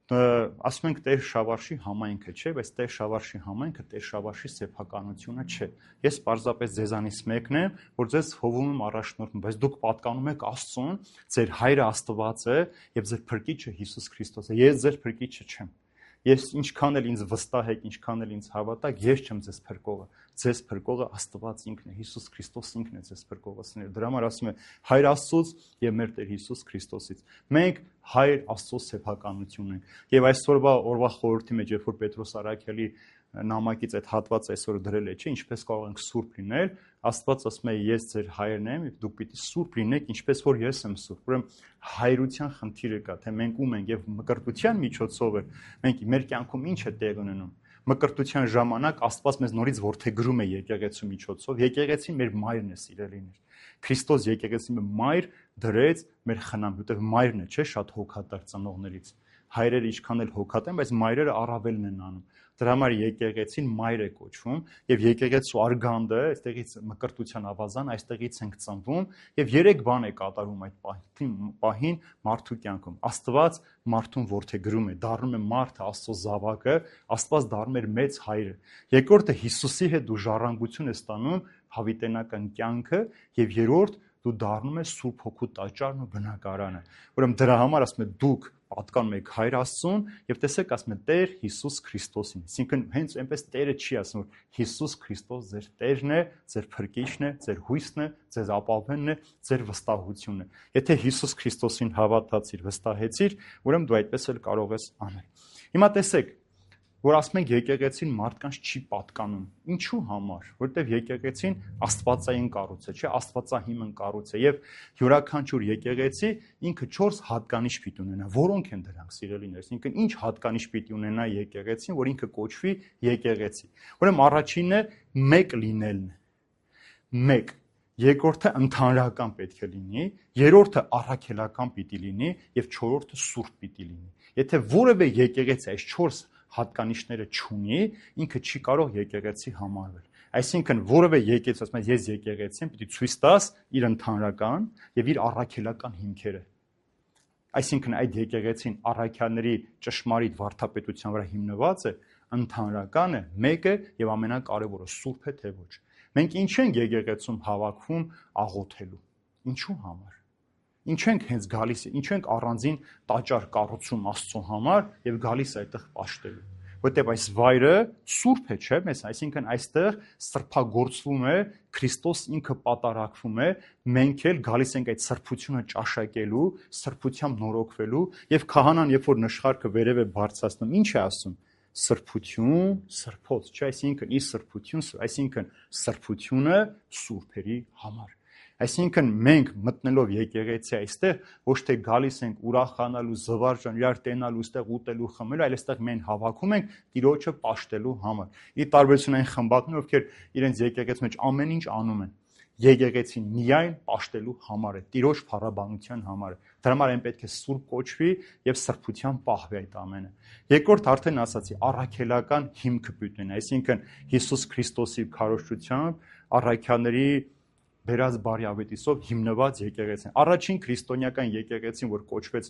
Ասում ենք Տեր Շավարշի համայնքը, չէ, բայց Տեր Շավարշի համայնքը Տեր Շավարշի սեփականությունը չէ։ Ես պարզապես ձեզանից մեկն եմ, որ ձեզ հովում եմ առաջնորդում, բայց դուք պատկանում եք Աստծուն, ձեր Հայրը Աստված է եւ ձեր Փրկիչը Հիսուս Քրիստոս է։ Ես ձեր Փրկիչը չեմ։ Ես ինչքան էլ ինձ վստահ եք, ինչքան էլ ինձ հավատաք, ես չեմ ձեզ փրկողը։ Ձեզ փրկողը Աստված ինքն է, Հիսուս Քրիստոս ինքն է ձեզ փրկողը։ Դրա համար ասում է Հայր Աստծուց եւ մեր Տեր Հիսուս Քրիստոսից։ Մենք Հայր Աստծո սեփականությունն ենք։ Եվ այսօրվա օրվա խորհրդի մեջ, երբ որ Պետրոս առաքյալի նամակից այդ հատվածը այսօր դրել է, չէ, ինչպես կարող ենք սուրբ լինել, Աստված ասում է ես ձեր հայրն եմ, եւ դուք պիտի սուրբ լինեք, ինչպես որ ես եմ սուրբ։ Ուրեմն հայրության խնդիրը կա, թե մենք ում ենք եւ մկրտության միջոցով է մենք մեր կյանքում ինչ է տեղ ունենում։ Մկրտության ժամանակ Աստված մեզ նորից որդեգրում է եկեղեցու միջոցով, եկեղեցին մեր մայրն է, սիրելիներ։ Քրիստոս եկեղեցին մայր դրեց մեր խնամ, որտեղ մայրն է, չէ, շատ հոգատար ծնողներից։ Հայրերը ինչքան էլ հոգատ են, բայց մայրերը առավելն են անում։ Դրա համար եկեղեցին մայր է կոչվում եւ եկեղեցու արգանդը, այստեղից մկրտության ավազան, այստեղից ենք ծնվում եւ երեք բան է կատարում այդ պահին մարդու կյանքում։ Աստված մարդուն որդեգրում է, դառնում է մարդը Աստծո զավակը, Աստված դառնում է մեծ հայրը։ Երկրորդը Հիսուսի հետ դու ժառանգություն ես ստանում հավիտենական կյանքը եւ երրորդ դու դառնում ես Սուրբ Հոգու տաճարն ու բնակարանը։ Ուրեմն դրա համար ասում է դուք պատկանում եք Հայր Աստծուն եւ տեսեք ասում է Տեր Հիսուս Քրիստոսին։ Այսինքն հենց այնպես Տերը չի ասում որ Հիսուս Քրիստոս ձեր Տերն է, ձեր Փրկիչն է, ձեր հույսն է, ձեր ապավենն է, ձեր վստահությունն է։ Եթե Հիսուս Քրիստոսին հավատացիր, վստահեցիր, ուրեմն դու այդպես էլ կարող ես անել։ Հիմա տեսեք, որ ասում ենք եկեղեցին մարդկանց չի պատկանում։ Ինչու համար, որտեվ եկեղեցին աստվածային կառույց է, չէ, աստվածահիմն կառույց է եւ յուրաքանչյուր եկեղեցի ինքը չորս հատկանիշ պիտի ունենա։ Որոնք են դրանք, սիրելիներս, ինքը ինչ հատկանիշ պիտի ունենա եկեղեցին, որ ինքը կոչվի եկեղեցի։ Ուրեմն առաջինը մեկ լինելն է։ Մեկ, երկրորդը ընդհանրական պետք է լինի, երրորդը առաքելական պիտի լինի եւ չորրորդը սուրբ պիտի լինի։ Եթե որևէ եկեղեցի այս չորս հատկանիշները չունի, ինքը չի կարող եկեղեցի համարվել։ Այսինքն որևէ եկեղեցի, ասում եմ, ես եկեղեցի եմ, պիտի ցույց տաս իր ընդհանրական եւ իր առաքելական հիմքերը։ Այսինքն այդ եկեղեցին առաքյալների ճշմարիտ վարդապետության վրա հիմնված է, ընդհանրական է, մեկ է եւ ամենակարևորը սուրբ է թե ոչ։ Մենք ինչ ենք եկեղեցում հավաքվում աղոթելու։ Ինչու համար։ Ինչ ենք հենց գալիս, ինչ ենք առանձին տաճար կառուցում Աստծո համար եւ գալիս այդտեղ պաշտելու։ Որտեւ այս վայրը սուրբ է, չէ՞, մեզ, այսինքն այստեղ սրբագործվում է, Քրիստոս ինքը պատարակվում է, մենք էլ գալիս ենք այդ սրբությունը ճաշակելու, սրբությամբ նորոգվելու եւ քահանան, երբ որ նշխարքը վերև է բարձրացնում, ինչ է ասում։ Սրբություն, սրբոց, չէ՞, այսինքն ի սրբություն, այսինքն սրբությունը սուրբերի համար։ Այսինքն մենք մտնելով եկեղեցի այստեղ ոչ թե գալիս ենք ուրախանալու, զվարճան, իրար տենալու, այստեղ ուտելու, խմելու, այլ այստեղ մենք հավաքում ենք Տիրոջը պաշտելու համար։ Ի տարբերություն այն խմբակներ, ովքեր իրենց եկեղեցի մեջ ամեն ինչ անում են, եկեղեցին միայն պաշտելու համար է, Տիրոջ փառաբանության համար է։ Դրա համար այն պետք է սուրբ կոչվի եւ սրբության պահվի այդ ամենը։ Երկրորդ արդեն ասացի, առաքելական հիմքը պիտի ունենա, այսինքն Հիսուս Քրիստոսի քարոզչությամբ առաքյալների բերած բարի ավետիսով հիմնված եկեղեցին։ Առաջին քրիստոնեական եկեղեցին, որ կոչվեց,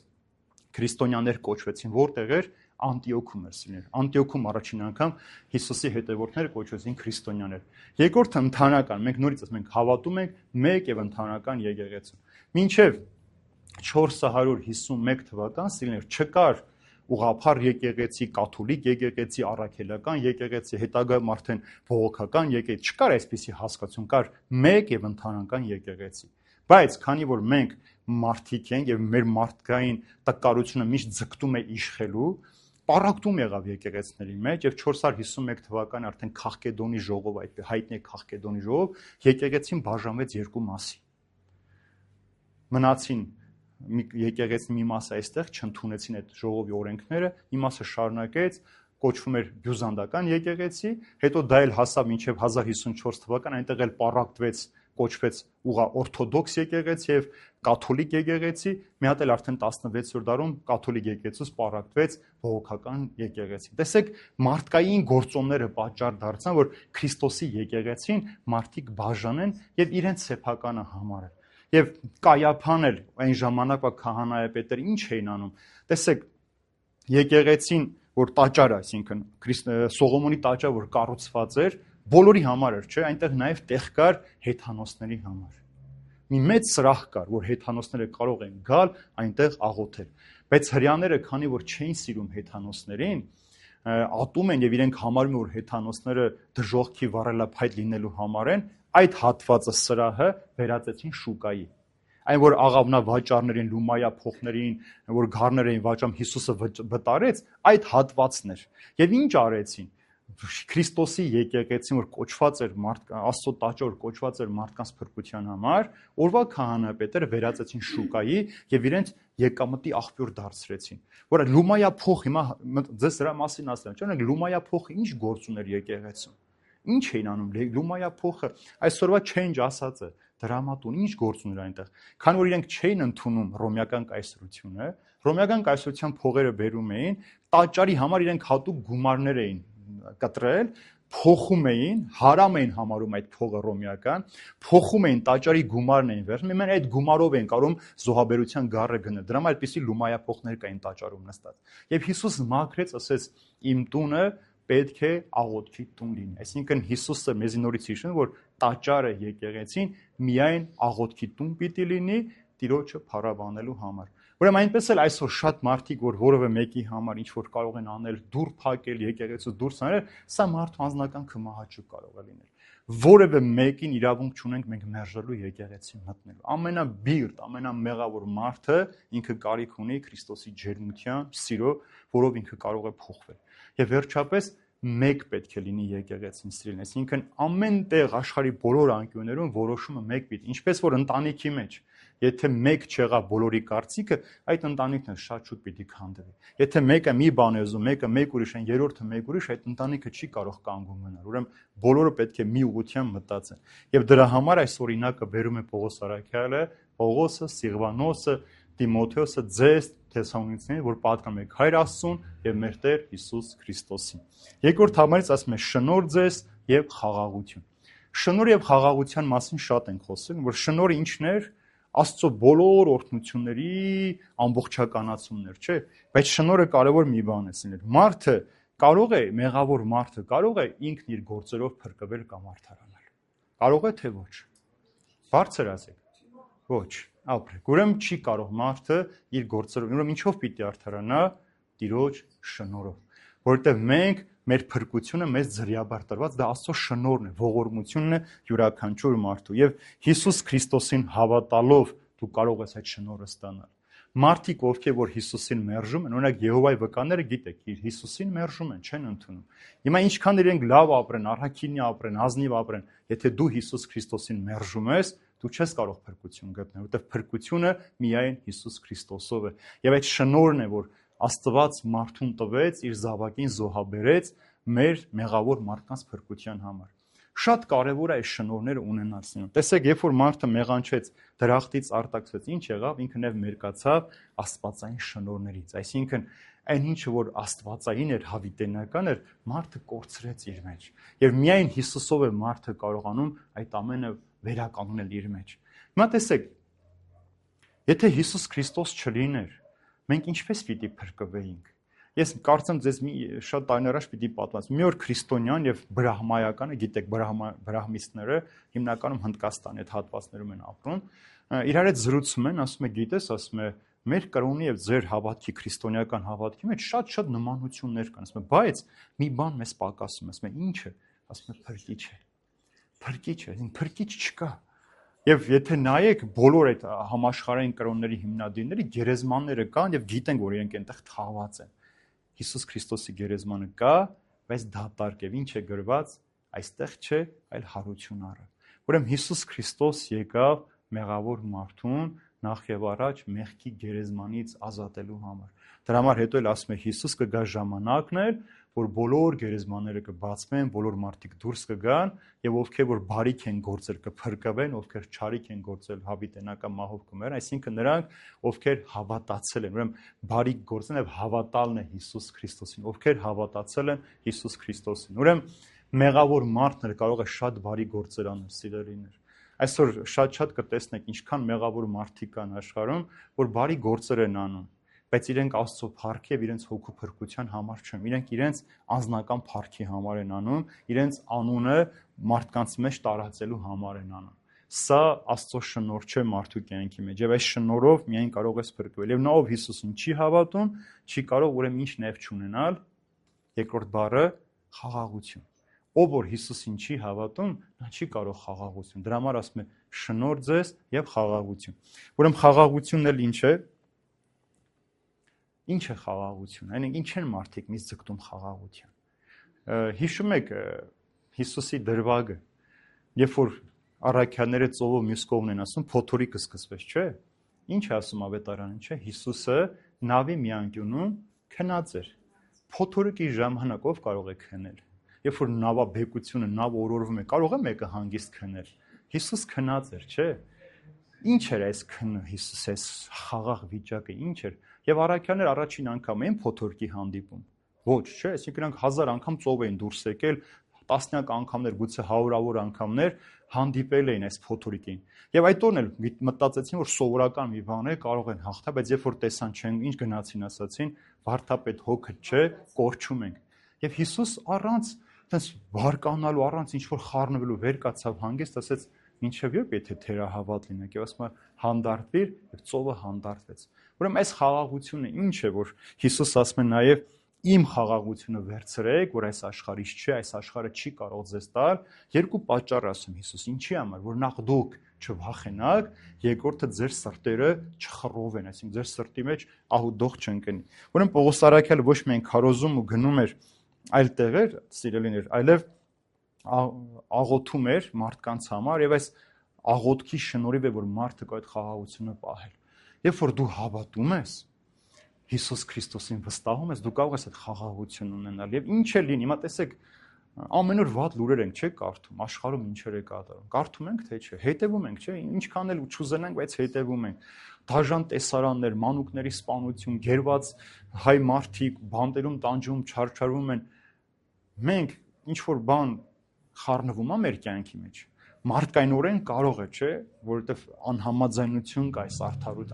քրիստոնյաներ կոչվեցին, որտեղ էր Անտիոքում էր սիրել։ Անտիոքում առաջին անգամ Հիսուսի հետևորդները կոչվեցին քրիստոնյաներ։ Երկրորդը ընդհանրական, մենք նորից ասում ենք, հավատում ենք մեկ եւ ընդհանրական եկեղեցու։ Մինչեւ չորս հարյուր հիսունմեկ թվական սիրելիներ չկար ուղղափառ եկեղեցի, կաթոլիկ եկեղեցի, առաքելական եկեղեցի, հետագայում արդեն բողոքական եկեղեցի, չկար այսպիսի հասկացություն, կար մեկ եւ ընդհանրական եկեղեցի։ Բայց քանի որ մենք մարդիկ ենք եւ մեր մարդկային տկարությունը միշտ ձգտում է իշխելու, պարակտում եղավ եկեղեցիների մեջ եւ չորս հարյուր հիսունմեկ թվականին արդեն Քաղկեդոնի ժողով, այդ հայտնի Քաղկեդոնի ժողով, եկեղեցին բաժանվեց երկու մասի։ Մնացին եկեղեցի մի մասը այստեղ չընդունեցին այդ ժողովի օրենքները, մի մասը շարունակեց, կոչվում էր բյուզանդական եկեղեցի, հետո դա էլ հասավ մինչև հազար հիսունչորս թվական, այնտեղ էլ պարակտվեց, կոչվեց ուղղա օրթոդոքս եկեղեցի եւ կաթոլիկ եկեղեցի, մի հատ էլ արդեն տասնվեցերորդ դարում կաթոլիկ եկեղեցուց պարակտվեց բողոքական եկեղեցի։ Տեսեք, մարդկային գործոնները պատճառ դարձան, որ Քրիստոսի եկեղեցին մարդիկ բաժանեն եւ իրենց սեփականը համարեն։ Եվ Կայափան էլ այն ժամանակվա քահանայապետերը ինչ էին անում։ Տեսեք, եկեղեցին, որ տաճարը, այսինքն Սողոմոնի տաճարը, որ կառուցված էր, բոլորի համար էր, չէ, այնտեղ նաև տեղ կար հեթանոսների համար։ Մի մեծ սրահ կար, որ հեթանոսները կարող են գալ այնտեղ աղոթել։ Բայց հрьяաները, քանի որ չէին սիրում հեթանոսներին, ատում են եւ իրենք համարում են, որ հեթանոսները դժողքի վառելափայտ լինելու համար են, այդ հատվածը սրահը վերածեցին շուկայի։ Այն որ աղավնա վաճառներին, լումայա փոխներին, որ գառներ էին վաճառում, Հիսուսը վտարեց, այդ հատվածն էր։ Եվ ինչ արեցին։ Քրիստոսի եկեղեցին, որ կոչված էր մարդ, Աստծո տաճար, կոչված էր մարդկանց փրկության համար, օրվա քահանայապետերը վերածեցին շուկայի եւ իրենց եկամտի աղբյուր դարձրեցին։ Որ լումայա փող, հիմա ձեզ դրա մասին ասեմ, չէ՞, լումայա փողը ինչ գործ ուներ եկեղեցում։ Ինչ էին անում, լումայա փողը, այսօրվա change ասածը, դրամատուն, ինչ գործ ուներ այնտեղ։ Քանի որ իրենք չէին ընդունում ռոմեական կայսրությունը, ռոմեական կայսրության փողերը բերում էին, տաճարի համար իրենք հատուկ գումարներ էին կտրել, փոխում էին, հարամ էին համարում այդ փողը ռոմեական, փոխում էին տաճարի գումարն էին վերցնում, իմեն այդ գումարով էին կարող զոհաբերության գառը գնել։ Դրա համար այդպիսի լումայա փողներ կային տաճարում նստած։ Եվ Հիսուս մաքրեց, ասեց, իմ տունը պետք է աղոթքի տուն լինի։ Այսինքն Հիսուսը մեզի նորից հիշում, որ տաճարը եկեղեցին միայն աղոթքի տուն պիտի լինի Տիրոջը փառաբանելու համար։ Ուրեմն այնպես էլ այսօր շատ մարդիկ, որ որևէ մեկի համար ինչ որ կարող են անել, դուր փակել, եկեղեցուց դուրս անել, սա մարդու անձնական քմահաճուկ կարող է լինել։ Որևէ մեկին իրավունք չունենք մենք մերժելու եկեղեցին մտնելու։ Ամենաբիրտ, ամենամեղավոր մարդը ինքը կարիք ունի Քրիստոսի ջերմության, սիրո, որով ինքը կարող է փոխվել։ Եվ վերջապես մեկ պետք է լինի եկեղեցին սիրելին, այսինքն ամեն տեղ աշխարհի բոլոր անկյուններում որոշումը մեկ պիտի, ինչպես որ ընտանիքի մեջ, եթե մեկ չեղավ բոլորի կարծիքը, այդ ընտանիքն շատ շուտ պիտի քանդվի։ Եթե մեկը մի բան է ուզում, մեկը մեկ ուրիշ են, երրորդը մեկ ուրիշ, այդ ընտանիքը չի կարող կանգուն մնալ։ Ուրեմն բոլորը պետք է մի ուղղությամբ մտածեն։ Եվ դրա համար այս օրինակը բերում է Պողոս առաքյալը, Պողոսը, Սիղվանոսը, Տիմոթեոսը ձեզ Թեսաղոնիկացիներին, որ պատկանում եք Հայր Աստծուն եւ մեր Տեր Հիսուս Քրիստոսին։ Երկրորդ համարից ասում է շնորհ ձեզ եւ խաղաղություն։ Շնորհ եւ խաղաղության մասին շատ ենք խոսել, որ շնորհը ինչն էր, Աստծո բոլոր օրհնությունների ամբողջականացումն էր, չէ՞։ Բայց շնորհը կարևոր մի բան է սիրել։ Մարդը կարող է, մեղավոր մարդը կարող է ինքն իր գործերով փրկվել կամ արդարանալ։ Կարող է թե ոչ։ Բարձր ասեք։ Ոչ, ապրեք։ Ուրեմն չի կարող մարդը իր գործերով, ուրեմն ինչով պիտի արդարանա, Տիրոջ շնորհով, որովհետև մենք մեր փրկությունը մեզ ձրիաբար տրված, դա Աստծո շնորհն է, ողորմությունն է յուրաքանչյուր մարդու եւ Հիսուս Քրիստոսին հավատալով դու կարող ես այդ շնորհը ստանալ։ Մարդիկ, ովքեր որ Հիսուսին մերժում են, օրինակ Եհովայի վկաները գիտեք, իր Հիսուսին մերժում են, չեն ընդունում։ Հիմա ինչքան իրենք լավ ապրեն, առաքինի ապրեն, ազնիվ ապրեն, եթե դու Հիսուս Քրիստոսին մերժում ես, դու չես կարող փրկություն գտնել, որովհետև փրկությունը միայն Հիսուս Քրիստոսով է։ Եվ այդ շնորհն է, որ Աստված մարդուն տվեց, իր զավակին զոհաբերեց մեր մեղավոր մարդկանց փրկության համար։ Շատ կարևոր է այս շնորհները ունենալ սինո։ Տեսեք, երբ որ մարդը մեղանչեց, դրախտից արտաքսվեց, ինչ եղավ, ինքը նաև մերկացավ աստվածային շնորհներից։ Այսինքն, այն ինչը որ աստվածային էր, հավիտենական էր, մարդը կորցրեց իր մեջ։ Եվ միայն Հիսուսով է մարդը կարողանում այդ ամենը վերականգնել իր մեջ։ Հիմա տեսեք, եթե Հիսուս Քրիստոս չլիներ, մենք ինչպես պիտի փրկվեինք։ Ես կարծեմ ձեզ մի շատ տարիներ առաջ պիտի պատմեմ։ Մի օր քրիստոնյան եւ բրահմայականը, գիտեք, բրահմիստները հիմնականում Հնդկաստանի այդ հատվածներում են ապրում, իրար հետ զրուցում են, ասում է, գիտես, ասում է, մեր կրոնի եւ ձեր հավատքի քրիստոնեական հավատքի մեջ շատ-շատ նմանություններ կան, ասում է, բայց մի բան մեզ պակասում, ասում է, ի՞նչը, ասում է, փրկիչ է։ Փրկիչ է, փրկիչ չկա։ Եվ եթե նայեք բոլոր այդ համաշխարհային կրոնների հիմնադիրների գերեզմանները կան եւ գիտենք, որ իրենք այնտեղ թաղված են։ Հիսուս Քրիստոսի գերեզմանը կա, բայց դատարկ է, ինչ է գրված, այստեղ չէ, այլ հարություն առը։ Ուրեմն Հիսուս Քրիստոս եկավ մեղավոր մարդուն նախ եւ առաջ մեղքի գերեզմանից ազատելու համար։ Դրա համար հետո էլ ասում է Հիսուս կգա ժամանակն էլ, որ բոլոր գերեզմանները կբացվեն, բոլոր մարդիկ դուրս կգան եւ ովքեր որ բարիք են գործել կփրկվեն, ովքեր չարիք են գործել հավիտենական մահով կմեռնեն, այսինքն նրանք, ովքեր հավատացել են, ուրեմն բարիք գործեն եւ հավատալն է Հիսուս Քրիստոսին, ովքեր հավատացել են Հիսուս Քրիստոսին։ Ուրեմն մեղավոր մարդն էլ կարող է շատ բարի գործեր անել, սիրելիներ։ Այսօր շատ-շատ կտեսնեք ինչքան մեղավոր մարդիկ կան աշխարհում, որ բարի գործեր են անում, բայց իրենք Աստծո փառքի եւ իրենց հոգու փրկության համար չեն, իրենք իրենց անձնական փառքի համար են անում, իրենց անունը մարդկանց մեջ տարածելու համար են անում։ Սա Աստծո շնորհ չէ մարդու կյանքի մեջ, եւ այս շնորհով միայն կարող ես փրկվել։ Եվ նա ով Հիսուսին չի հավատում, չի կարող ուրեմն ինչ նեվ չունենալ։ Երկրորդ բառը խաղաղություն։ Ով որ Հիսուսին չի հավատում, նա չի կարող խաղաղություն։ Դրա համար ասում է շնորհ ձեզ եւ խաղաղություն։ Ուրեմն խաղաղությունն էլ ինչ է։ Ինչ է խաղաղություն։ Այնինք ինչ են մարդիկ միշտ ձգտում խաղաղության։ Հիշում եք Հիսուսի դրվագը, երբ որ առաքյալները ծովով մյուս կողմն են ասում, փոթորիկը սկսվեց, չէ՞։ Ինչ է ասում ավետարանին, չէ՞։ Հիսուսը նավի մի անկյունում քնած էր։ Փոթորիկի ժամանակով կարող է քնել։ Երբ որ նավաբեկությունը, նավ օրորվում է, կարող է մեկը հանգիստ քնել։ Հիսուս քնած էր, չէ՞։ Ինչ էր այս քնը, Հիսուս այս խաղաղ վիճակը, ինչ էր։ Եվ առաքյալները առաջին անգամ էին փոթորկի հանդիպում։ Ոչ, չէ, այսինքն նրանք հազար անգամ ծով էին դուրս եկել, տասնյակ անգամներ, գուցե հարյուրավոր անգամներ հանդիպել էին այս փոթորիկին։ Եվ այդ օրն էլ մտածեցին, որ սովորական մի բան է, կարող են հաղթել, բայց երբ որ տեսան չեն, ինչ գնացին, ասացին, վարդապետ հոգը չէ, կորչում ենք։ Եվ Հիսուս առանց այդպես բարկանալու, առանց ինչ որ խառնվելու վեր կացավ հանգիստ, ասեց, ինչև երբ եթե թերահավատ լինեք, եւ ասում է հանդարտվիր, եւ ծովը հանդարտվեց։ Ուրեմն այս խաղաղությունը ինչ է, որ Հիսուս ասում է նաև իմ խաղաղությունը վերցրեք, որ այս աշխարհից չէ, այս աշխարհը չի կարող ձեզ տալ, երկու պատճառ ասում Հիսուս, ինչի համար, որ նախ դուք չվախենաք, երկրորդը ձեր սրտերը չխռովեն, այսինքն ձեր սրտի մեջ ահուդող չընկնի։ Ուրեմն Պողոս առաքյալը ոչ միայն քարոզում ու գնում էր այլ տեղեր, սիրելիներ, այլև աղոթում էր մարդկանց համար եւ այս աղոթքի շնորհիվ է, որ մարդը կա այդ խաղաղությունը պահել։ Երբ որ դու հավատում ես Հիսուս Քրիստոսին վստահում ես, դու կարող ես այդ խաղաղություն ունենալ եւ ինչ է լինի, հիմա տեսեք, ամեն օր վատ լուրեր ենք, չէ՞, կարդում, աշխարհում ինչեր է կատարում։ Կարդում ենք, թե չէ, հետևում ենք, չէ՞, ինչքան էլ չուզենանք, բայց հետևում ենք։ Դաժան տեսարաններ, մանուկների սպանություն, գերված հայ մարդիկ բանտերում տանջում, չարչարվում են։ Մենք ինչ որ բան խառնվում է մեր կյանքի մեջ։ Մարդկայնորեն կարող է, չէ, որովհետև անհամաձայնություն կա այս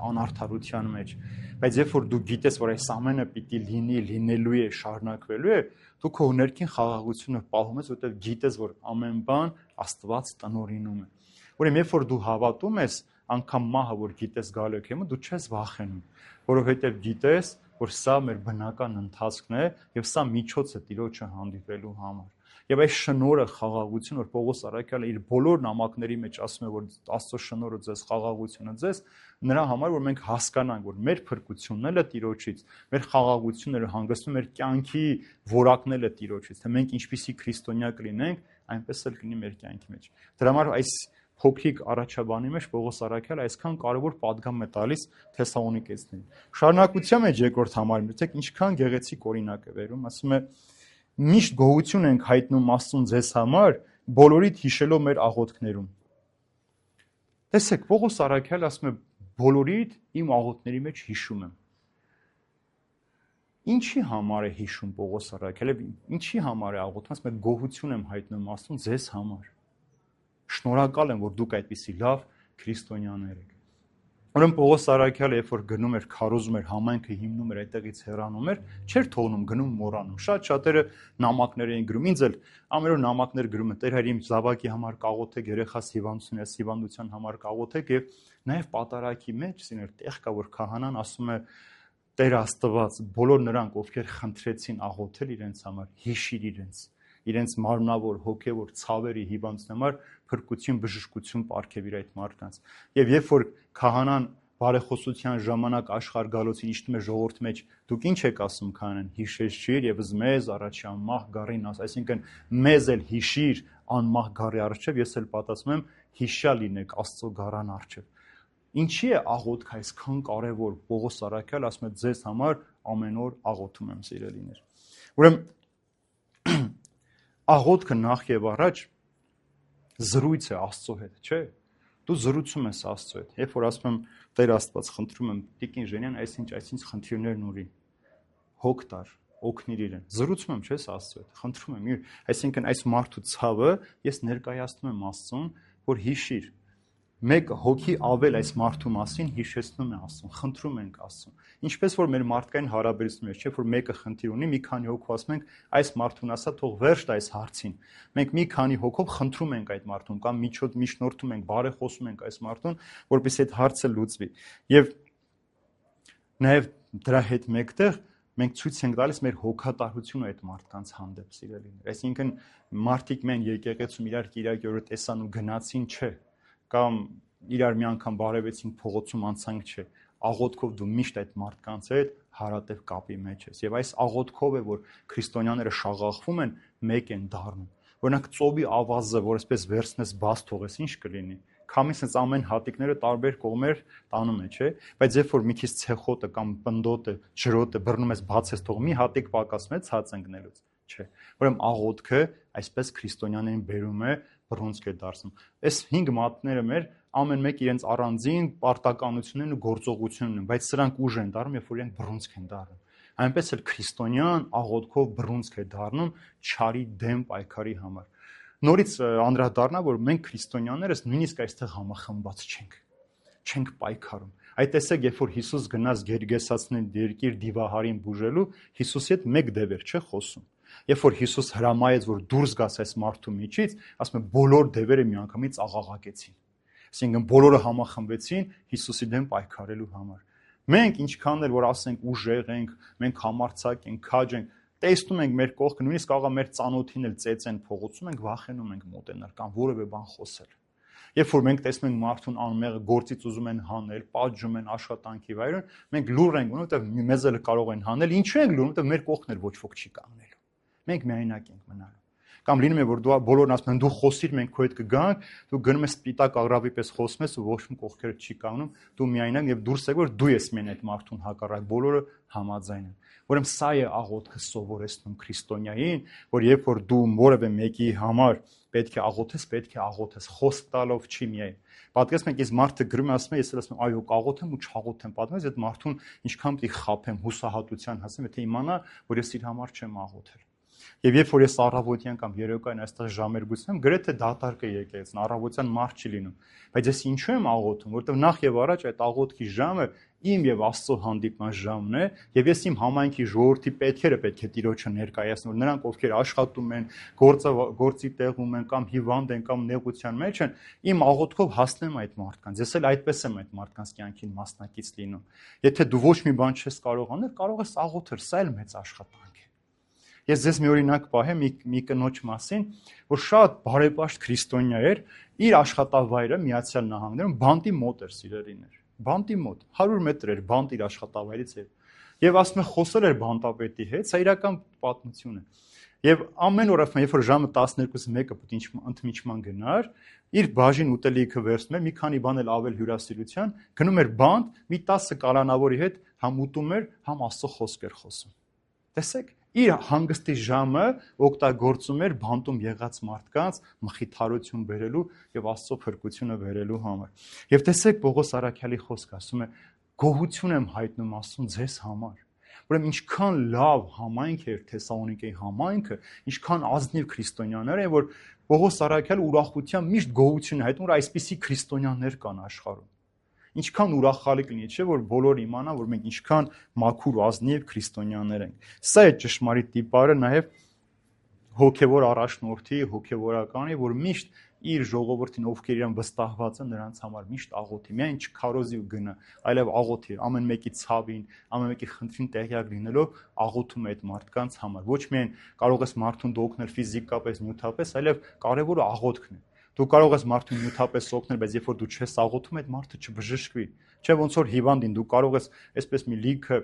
անարդարության մեջ, բայց երբ որ դու գիտես, որ այս ամենը պիտի լինի, լինելու է, շարունակվելու է, դու քո ներքին խաղաղությունը պահում ես, որովհետև գիտես, որ ամեն բան Աստված տնօրինում է։ Ուրեմն երբ որ դու հավատում ես, անգամ մահը, որ գիտես գալու է քեզ, դու չես վախենում, որովհետև գիտես, որ սա մեր բնական ընթացքն է եւ սա միջոց է Տիրոջը հանդիպելու համար։ Եվ այս շնորհը, խաղաղությունը, որ Պողոս առաքյալը իր բոլոր նամակների մեջ ասում է, որ Աստծո շնորհը ձեզ, խաղաղությունը ձեզ, նրա համար, որ մենք հասկանանք, որ մեր փրկությունն էլ է Տիրոջից, մեր խաղաղությունները հանգստում մեր կյանքի որակն էլ է Տիրոջից, թե մենք ինչպիսի քրիստոնյա կլինենք, այնպես էլ կլինի մեր կյանքի մեջ։ Դրա համար այս փոքրիկ առաջաբանի մեջ Պողոս առաքյալը այսքան կարևոր պատգամ է տալիս Թեսաղոնիկեցիներին։ Շարունակության մեջ երկրորդ համարում, դիտեք ինչքան գեղեցիկ օրինակ է վերում, ասում է միշտ գոհություն ենք հայտնում Աստծուն ձեզ համար, բոլորիդ հիշելով մեր աղոթքներում։ Տեսեք, Պողոս առաքյալը ասում է բոլորիդ իմ աղոթքների մեջ հիշում եմ։ Ինչի համար է հիշում Պողոս առաքյալը, ինչի համար է աղոթում, ասում է գոհություն եմ հայտնում Աստծուն ձեզ համար։ Շնորհակալ եմ, որ դուք այդպիսի լավ քրիստոնյաներ եք։ Ուրեմն Պողոս առաքյալը, երբ որ գնում էր, քարոզում էր, համայնքը հիմնում էր, այդտեղից հեռանում էր, չէր թողնում, գնում մոռանում։ Շատ շատերը նամակներ էին գրում, ինձ էլ ամեն օր նամակներ գրում են, Տեր հայր իմ զավակի համար կաղոթեք, երեխաս հիվանդություն է, հիվանդության համար կաղոթեք եւ նաեւ պատարակի մեջ սիներ տեղ կա, որ քահանան ասում է Տեր Աստված, բոլոր նրանք, ովքեր խնդրեցին աղոթել իրենց համար, հիշիր իրենց, իրենց մարմնավոր, հոգևոր ցավերի հիվանդության համար փրկություն, բժշկություն պարգև իր այդ մարդկանց։ Եվ երբ որ քահանան բարեխոսության ժամանակ աշխարհ գալոցին իջնում է ժողովրդի մեջ, դուք ինչ եք ասում քահանան, հիշեցիր եւս մեզ առաջի անմահ գառին աս, այսինքն մեզ էլ հիշիր անմահ գառի առջև, ես էլ պատասխանում եմ հիշյալ լինեք Աստծո գառան առջև։ Ինչի է աղոթքը այսքան կարևոր, Պողոս առաքյալը ասում է ձեզ համար ամեն օր աղոթում եմ, սիրելիներ։ Ուրեմն աղոթքը նախ եւ առաջ զրույց է Աստծո հետ, չէ՞։ Դու զրուցում ես Աստծո հետ։ Երբ որ ասում եմ Տեր Աստված, խնդրում եմ Տիկին Ժենյան, այսինչ այսինչ խնդիրներն ունի, հոգ տար, օգնիր իրեն։ Զրուցում եմ, չէ՞, Աստծո հետ։ Խնդրում եմ, այսինքն այս մարդու ցավը ես ներկայացնում եմ Աստծուն, որ հիշիր։ Մեկ հոգի ավել այս մարդու մասին հիշեցնում է Աստծուն, խնդրում ենք Աստծուն։ Ինչպես որ մեր մարդկային հարաբերություններ, չէ՞ որ մեկը խնդիր ունի, մի քանի հոգով ասում ենք, այս մարդուն ասա թող վերջ տա այս հարցին։ Մենք մի քանի հոգով խնդրում ենք այդ մարդուն կամ միջոց միջնորդում ենք, բարեխոսում ենք այս մարդուն, որպեսզի այդ հարցը լուծվի։ Եվ նաև դրա հետ մեկտեղ մենք ցույց ենք տալիս մեր հոգատարությունը այդ մարդկանց հանդեպ, սիրելիներ։ Այսինքն մարդիկ մեն եկեղեցում իրար կիրակի օրը տեսան ու գնացին, չէ, կամ իրար մի անգամ բարևեցին փողոցում անցանք, չէ, աղոթքով դու միշտ այդ մարդկանց հետ հարատև կապի մեջ ես։ Եվ այս աղոթքով է, որ քրիստոնյաները շաղախվում են, մեկ են դառնում։ Օրինակ ծովի ավազը, որ այսպես վերցնես բաց թողես, ինչ կլինի։ Քամին sense ամեն հատիկները տարբեր կողմեր տանում է, չէ՞։ Բայց երբ որ մի քիչ ցեխոտը կամ պնդոտը, ջրոտը բռնում ես, բացես թող մի հատիկ պակասում է ցած ընկնելուց, չէ։ Ուրեմն աղոթքը այսպես քրիստոնյաներին բերում է, բռունցք է դարձնում։ Այս հինգ մատները մեր ամեն մեկ իրենց առանձին պարտականություններն ու գործողություններն են, բայց սրանք ուժ են դառնում, երբ որ իրենք բռունցք են դառնում։ Այնպես էլ քրիստոնյան աղոթքով բռունցք է դառնում չարի դեմ պայքարի համար։ Նորից անդրադառնա, որ մենք քրիստոնյաներս նույնիսկ այստեղ համախմբված չենք, չենք պայքարում։ Այդ տեսեք, երբ որ Հիսուս գնաց Գերգեսացնեն երկիր դիվահարին բուժելու, Հիսուսի հետ մեկ դևեր չէ խոսում։ Երբ որ Հիսուս հրամայեց, որ դուրս գաս այս մարդու միջից, ասում է բոլոր դևերը միանգամից աղաղակեցին։ Այսինքն բոլորը համախմբվեցին Հիսուսի դեմ պայքարելու համար։ Մենք ինչքան էլ որ ասենք ուժեղ ենք, մենք համարձակ ենք, քաջ ենք, տեսնում ենք մեր կողքը, նույնիսկ կարող է մեր ծանոթին էլ ծեծեն փողոցում, ենք վախենում ենք մոտենալ կամ որևէ բան խոսել։ Երբ որ մենք տեսնում ենք մարդուն անմեղը գործից ուզում են հանել, պատժում են աշխատանքի վայրում, մենք լուր ենք, որովհետև մեզ էլ կարող են հանել, ինչու ենք լուր, որովհետև մեր կողքն էլ ոչ ոք չի կանգնելու։ Մենք միայնակ ենք մնալու։ Կամ լինում է որ դու բոլորն ասում են դու խոսիր, մենք քո հետ կգանք, դու գնում ես սպիտակ աղրավի պես խոսում ես ու ոչ մի կողքերը չի կանգնում, դու միայնակ եւ դուրս եք որ դու ես մեն այդ մարդուն հակառակ, բոլորը համաձայն են։ Ուրեմն սա է աղոթքը սովորեցնում քրիստոնյային, որ երբ որ դու որևէ մեկի համար պետք է աղոթես, պետք է աղոթես, խոսք տալով չի միայն։ Պատկերացնեք, ես մարդը գրում է ասում է, ես էլ ասում եմ, այո, կաղոթեմ ու չաղոթեմ, պատմես այդ մարդուն ինչքան պետք է խաբեմ, հուսահատության հասեմ, եթե իմանա, որ ես իր համար չեմ աղոթել։ Եվ երբ որ ես առավոտյան կամ երեկոյան այստեղ ժամեր գուցեմ, գրեթե դատարկ է եկեղեցին, առավոտյան մարդ չի լինում։ Բայց ես ինչու եմ աղոթում, որովհետև նախ եւ առաջ այդ աղոթքի ժամը իմ եւ Աստծո հանդիպման ժամն է, եւ ես իմ համայնքի ժողովրդի պետքերը պետք է Տիրոջը ներկայացնեմ, որ նրանք ովքեր աշխատում են, գործը գործի տեղում են կամ հիվանդ են կամ նեղության մեջ են, իմ աղոթքով հասնեմ այդ մարդկանց։ Ես էլ այդպես եմ այդ մարդկանց կյանքին մասնակից լինում։ Եթե դու ոչ մի բան չես կարող անել, կարող ես աղոթել, սա էլ մեծ աշխատանք է։ Ես ձեզ մի օրինակ պահեմ մի, մի կնոջ մասին, որ շատ բարեպաշտ քրիստոնյա էր, իր աշխատավայրը Միացյալ Նահանգներում բանտի մոտ էր, սիրելիներ, բանտի մոտ, հարյուր մետր էր բանտ իր աշխատավայրից էր։ Եվ ասում է խոսել էր բանտապետի հետ, սա իրական պատմություն է։ Եվ ամեն օր ասում է, երբ որ ժամը տասներկուս մեկը պետք է ընդմիջման գնար, իր բաժին ուտելիքը վերցնում էր, մի քանի բան էլ ավել հյուրասիրության, գնում էր բանտ, մի տասը կալանավորի հետ համ ուտում էր, համ Աստծո խոսք էր խոսում։ Տեսեք, իր հանգստի ժամը օգտագործում էր բանտում եղած մարդկանց մխիթարություն բերելու եւ Աստծո փրկությունը բերելու համար։ Եվ տեսեք Պողոս Առաքյալի խոսքը ասում է. գոհություն եմ հայտնում Աստծուն ձեզ համար։ Ուրեմն ինչքան լավ համայնք էր Թեսաղոնիկեի համայնքը, ինչքան ազնիվ քրիստոնյաներ են, որ Պողոս Առաքյալը ուրախությամբ միշտ գոհություն է հայտնում, որ այսպիսի քրիստոնյաներ կան աշխարհում։ Ինչքան ուրախալի կլինի, չէ՞ որ բոլորը իմանան, որ մենք ինչքան մաքուր ու ազնիվ քրիստոնյաներ ենք։ Սա է ճշմարիտ տիպարը նաև հոգևոր առաջնորդի, հոգևորականի, որ միշտ իր ժողովրդին, ովքեր իրան վստահված են, նրանց համար միշտ աղոթի, միայն չքարոզի ու գնա, այլև աղոթի, ամեն մեկի ցավին, ամեն մեկի խնդրին տեղյակ լինելով աղոթում է այդ մարդկանց համար։ Ոչ միայն կարող ես մարդուն օգնել ֆիզիկապես, նյութապես, այլև կարևորը աղոթքն է։ Դու կարող ես մարդուն նյութապես օգնել, բայց երբ որ դու չես աղոթում, այդ մարդը չբժշկվի։ Չէ՞ ոնց որ հիվանդին դու կարող ես այսպես մի լիքը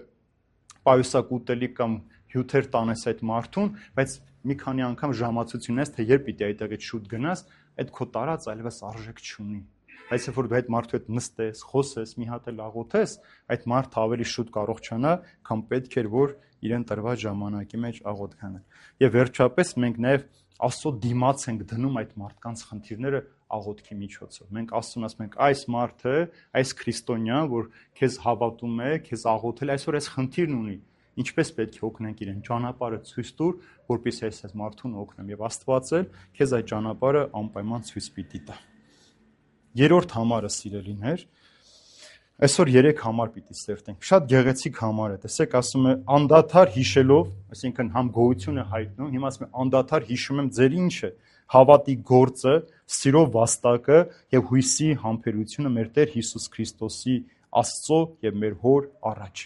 պայուսակ ուտելիք կամ հյութեր տանես այդ մարդուն, բայց մի քանի անգամ ժամացություն ես, թե երբ պիտի այդտեղից շուտ գնաս, այդ քո տարած այլևս արժեք չունի։ Բայց երբ որ դու այդ մարդու հետ նստես, խոսես, մի հատ էլ աղոթես, այդ մարդը ավելի շուտ կարողանա, քան պետք էր, որ իրեն տրված ժամանակի մեջ աղոթքանը։ Եվ վերջապես մենք նաև Աստծո դիմաց ենք դնում այդ մարդկանց խնդիրները աղոթքի միջոցով։ Մենք Աստծուն ասում ենք, այս մարդը, այս քրիստոնյան, որ քեզ հավատում է, քեզ աղոթել, այսօր այս խնդիրն ունի, ինչպես պետք է օգնենք իրեն, ճանապարհը ցույց տուր, որպեսզի այս այս մարդուն օգնեմ, եւ Աստված էլ քեզ այդ ճանապարհը անպայման ցույց պիտի տա։ Երրորդ համարը, սիրելիներ, այսօր երեք համար պիտի սերտենք։ Շատ գեղեցիկ համար է։ Տեսեք, ասում է անդադար հիշելով, այսինքն համ գոհություն է հայտնում, հիմա ասում է անդադար հիշում եմ ձեր ինչը, հավատի գործը, սիրո վաստակը եւ հույսի համբերությունը մեր Տեր Հիսուս Քրիստոսի Աստծո եւ մեր Հոր առաջ։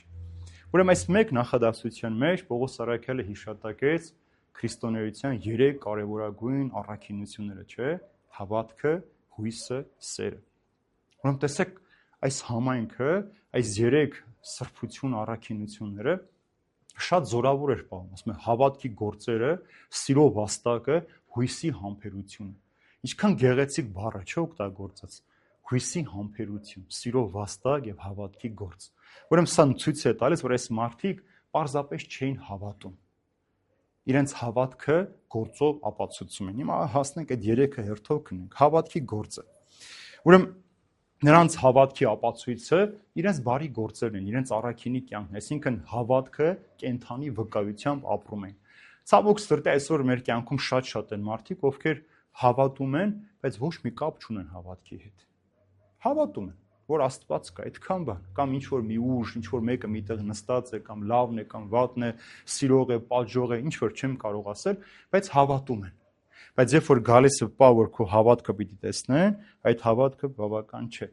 Ուրեմն այս մեկ նախադասության մեջ Պողոս Առաքյալը հիշատակեց քրիստոնեության երեք կարևորագույն առաքինությունները, չէ՞, հավատքը, հույսը, սերը։ Ուրեմն տեսեք, այս համայնքը, այս երեք սրբություն առաքինությունները շատ զորավոր էր պահում, ասում է հավատքի գործերը, սիրո վաստակը, հույսի համբերությունը։ Ինչքան գեղեցիկ բառ է, չէ՞ օգտագործած։ Հույսի համբերություն, սիրո վաստակ եւ հավատքի գործ։ Ուրեմն սա ցույց է տալիս, որ այս մարդիկ պարզապես չէին հավատում։ Իրենց հավատքը գործով ապացուցում են։ Հիմա հասնենք այդ երեքը հերթով քնենք։ Հավատքի գործը։ Ուրեմն նրանց հավատքի ապացույցը իրենց բարի գործերն են, իրենց առաքինի կյանքն, այսինքն հավատքը կենթանի վկայությամբ ապրում են։ Ցավոք սրտի այսօր մեր կյանքում շատ-շատ են մարդիկ, ովքեր հավատում են, բայց ոչ մի կապ չունեն հավատքի հետ։ Հավատում են, որ Աստված կա, այդքան բան, կամ ինչ որ մի ուժ, ինչ որ մեկը միտեղ նստած է, կամ լավն է, կամ վատն է, սիրող է, պատժող է, ինչ որ չեմ կարող ասել, բայց հավատում են։ Բայց երբ որ գալիս է պա, որ քո հավատքը պիտի տեսնեն, այդ հավատքը բավական չէ։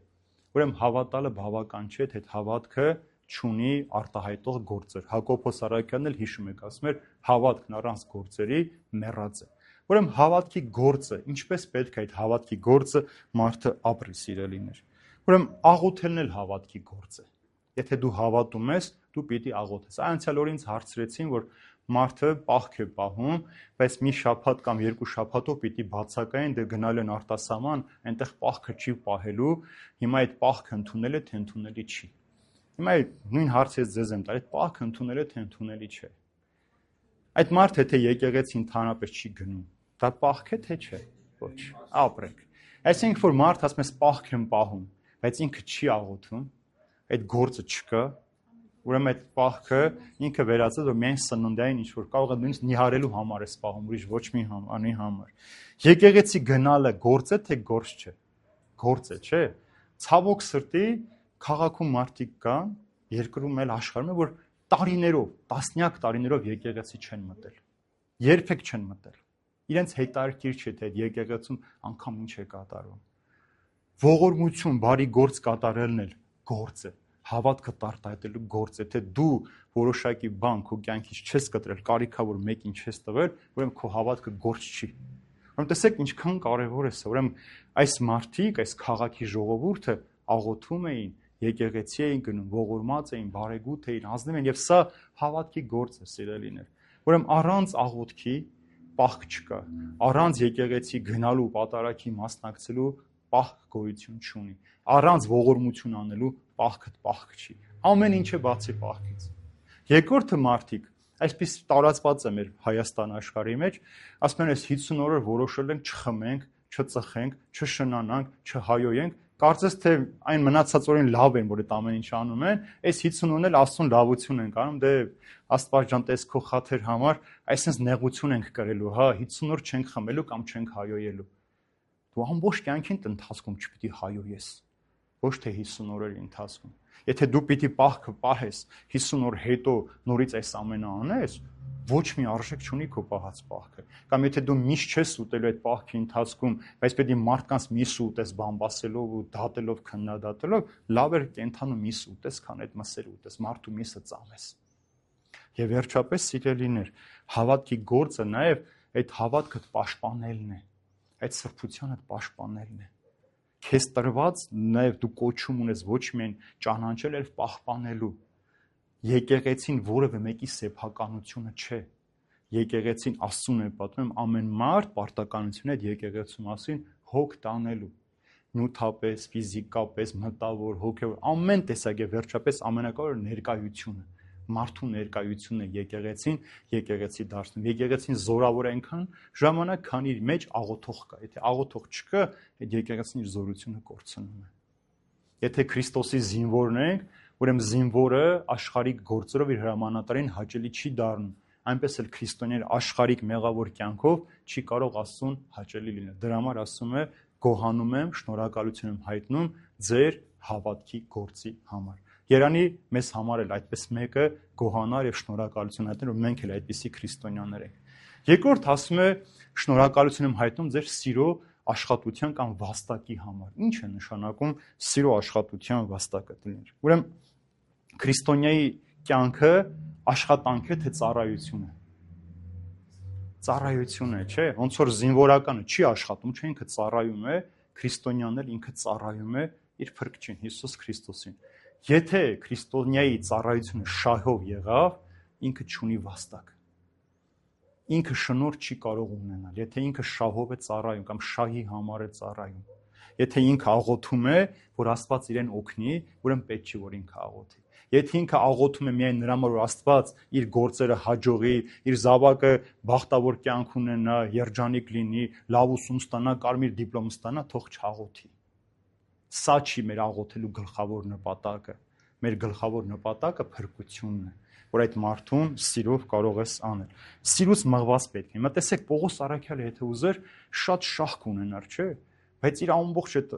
Ուրեմն հավատալը բավական չէ, թե այդ հավատքը չունի արտահայտող գործեր։ Հակոբոս Արաքյանն էլ հիշում եք, ասում էր հավատքն առանց գործերի մեռած է։ Ուրեմն հավատքի գործը, ինչպես պետք է այդ հավատքի գործը մարդը ապրի, սիրելիներ։ Ուրեմն աղոթելն էլ հավատքի գործ է։ Եթե դու հավատում ես, դու պիտի աղոթես։ Անցյալ օր ինձ հարցրեցին, որ մարդը պահք է պահում, բայց մի շաբաթ կամ երկու շաբաթով պիտի բացակային, դե գնալ են արտասահման, այնտեղ պահքը չի պահելու, հիմա այդ պահքը ընդունել է, թե ընդունելի չի։ Հիմա այդ նույն հարցը ձեզ եմ տալի, այդ պահքը ընդունել է, թե ընդունելի չէ։ Այդ մարդը թե եկեղեցի ընդհանրապես չի գնում, դա պահք է, թե չէ։ Ոչ, ապրենք։ Այսինքն որ մարդ ասում է պահք եմ պահում, բայց ինքը չի աղոթում, այդ գործը չկա, ուրեմն այդ պահքը ինքը վերածել որ միայն սննդային ինչ որ կարող է նույնիսկ նիհարելու համար է սպահում, ուրիշ ոչ մի անի համար։ Եկեղեցի գնալը գործ է, թե գործ չէ։ Գործ է, չէ։ Ցավոք սրտի քաղաքում մարդիկ կան, երկրում էլ աշխարհում, որ տարիներով, տասնյակ տարիներով եկեղեցի չեն մտել։ Երբեք չեն մտել։ Իրենց հետաքրքիր չէ, թե այդ եկեղեցում անգամ ինչ է կատարվում։ Ողորմություն, բարի գործ կատարելն էլ գործ է։ Հավատքը տարտայտելու գործ է, թե դու որոշակի բան քո կյանքից չես կտրել, կարիքա որ մեկին չես տվել, ուրեմն քո հավատքը գործ չի։ Ուրեմն տեսեք ինչքան կարևոր է սա։ Ուրեմն այս մարդիկ, այս քաղաքի ժողովուրդը աղոթում էին, եկեղեցի էին գնում, ողորմած էին, բարեգութ էին, ազնիվ էին, եւ սա հավատքի գործ է, սիրելիներ։ Ուրեմն առանց աղոթքի պահք չկա, առանց եկեղեցի գնալու, պատարագի մասնակցելու պահք գոյություն չունի, առանց ողորմություն անելու պահքը պահք չի։ Ամեն ինչ է բացի պահքից։ Երկրորդը մարդիկ, այսպես տարածված է մեր Հայաստան աշխարհի մեջ, ասում են, այս հիսուն օրը որոշել ենք չխմենք, չծխենք, չշնանանք, չհայոյենք, կարծես թե այն մնացած օրին լավ են, որ այդ ամեն ինչ անում են, այս հիսուն օրն էլ Աստծուն լավություն են անում, դե Աստված ջան, տես քո խաթեր համար, այսպես նեղություն ենք կրելու, հա, հիսուն օր չենք խմելու կամ չենք հայոյելու։ Դու ամբողջ կյանքին ընթացքում չպիտի հայոյես, ոչ թե հիսուն օրերի ընթացքում։ Եթե դու պիտի պահքը պահես, հիսուն օր հետո նորից այս ամենը անես, ոչ մի արժեք չունի քո պահած պահքը։ Կամ եթե դու միշտ չես ուտելու այդ պահքի ընթացքում, բայց պետք է մարդկանց միս ուտես բամբասելով ու դատելով, քննադատելով, լավ է կենթանու միս ուտես, քան այդ մսեր ուտես, մարդու միսը ծամես։ Եվ վերջապես սիրելիներ, հավատքի գործը նաև այդ հավատքը պաշտպանելն է, այդ սրբությանը պաշտպանելն է։ Քեզ տրված նաև դու կոչում ունես ոչ միայն ճանաչել, այլ պահպանելու։ Եկեղեցին որևէ մեկի սեփականությունը չէ։ Եկեղեցին Աստծուն է պատմում ամեն մարդ պարտականություն այդ եկեղեցու մասին հոգ տանելու։ Նյութապես, ֆիզիկապես, մտավոր, հոգևոր, ամեն տեսակ է վերջապես ամենակարևորը ներկայությունը։ Մարդու ներկայությունը եկեղեցին, եկեղեցի դարձնում։ Եկեղեցին զորավոր է այնքան ժամանակ, քան իր մեջ աղոթող կա։ Եթե աղոթող չկա, այդ եկեղեցին իր զորությունը կորցնում է։ Եթե Քրիստոսի զինվորն ենք, ուրեմն զինվորը աշխարհիկ գործերով իր հրամանատարին հաճելի չի դառնում։ Այնպես էլ քրիստոնյան աշխարհիկ մեղավոր կյանքով չի կարող Աստծուն հաճելի լինել։ Դրա համար ասում է. «Գոհանում եմ, շնորհակալություն եմ հայտնում ձեր հավատքի գործի համար»։ Երանի մեզ համար էլ այդպես մեկը գոհանար եւ շնորհակալություն հայտնել, որ մենք էլ այդպիսի քրիստոնյաներ ենք։ Երկրորդ ասում է շնորհակալություն եմ հայտնում ձեր սիրո աշխատության կամ վաստակի համար։ Ինչ է նշանակում սիրո աշխատության վաստակը դիներ։ Ուրեմն քրիստոնյայի կյանքը աշխատանք է թե ծառայություն է։ Ծառայություն է, չէ՞։ Ոնց որ զինվորականը չի աշխատում, չէ՞ ինքը ծառայում է, քրիստոնյանն էլ ինքը ծառայում է իր Փրկչին Հիսուս Քրիստոսին։ Եթե քրիստոնյայի ծառայությունը շահով եղավ, ինքը չունի վաստակ։ Ինքը շնորհ չի կարող ունենալ, եթե ինքը շահով է ծառայում կամ շահի համար է ծառայում։ Եթե ինքը աղոթում է, որ Աստված իրեն օգնի, ուրեմն պետք չի որ ինքը աղոթի։ Եթե ինքը աղոթում է միայն նրա համար, որ Աստված իր գործերը հաջողի, իր զավակը բախտավոր կյանք ունենա, երջանիկ լինի, լավ ուսում ստանա, կարմիր դիպլոմ ստանա, թող չաղոթի։ Սա չի մեր աղոթելու գլխավոր նպատակը։ Մեր գլխավոր նպատակը փրկությունն է, որ այդ մարդուն սիրով կարող ես անել։ Սիրուց մղված պետք է։ Հիմա տեսեք Պողոս Առաքյալը եթե ուզեր շատ շահք ունենար, չէ՞, բայց իր ամբողջ այդ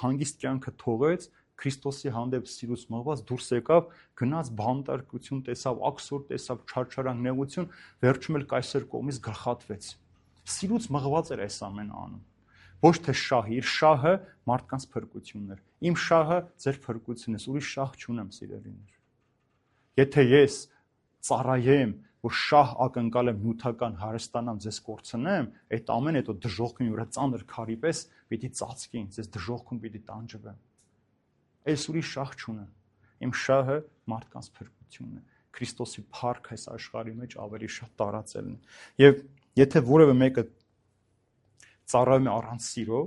հանգիստ կյանքը թողեց, Քրիստոսի հանդեպ սիրուց մղված դուրս եկավ, գնաց բանտարկություն տեսավ, աքսոր տեսավ, չարչարանք, նեղություն, վերջում էլ կայսեր կողմից գլխատվեց։ Սիրուց մղված էր այս ամենը անում։ Ոչ թե շահը, իր շահը մարդկանց փրկությունն էր։ Իմ շահը ձեր փրկությունն է, ուրիշ շահ չունեմ, սիրելիներ։ Եթե ես ծառայեմ, որ շահ ակնկալ եմ նյութական հարստանամ ձեզ կորցնեմ, այդ ամեն հետո դժողքին վրա ծանր քարի պես պիտի ծածկին, ձեզ դժողքում պիտի տանջվեմ։ Այս ուրիշ շահ չունեմ։ Իմ շահը մարդկանց փրկությունն է։ Քրիստոսի փառք այս աշխարհի մեջ ավելի շատ տարածելն է։ Եվ եթե որևէ մեկը ծառայում է առանց սիրո,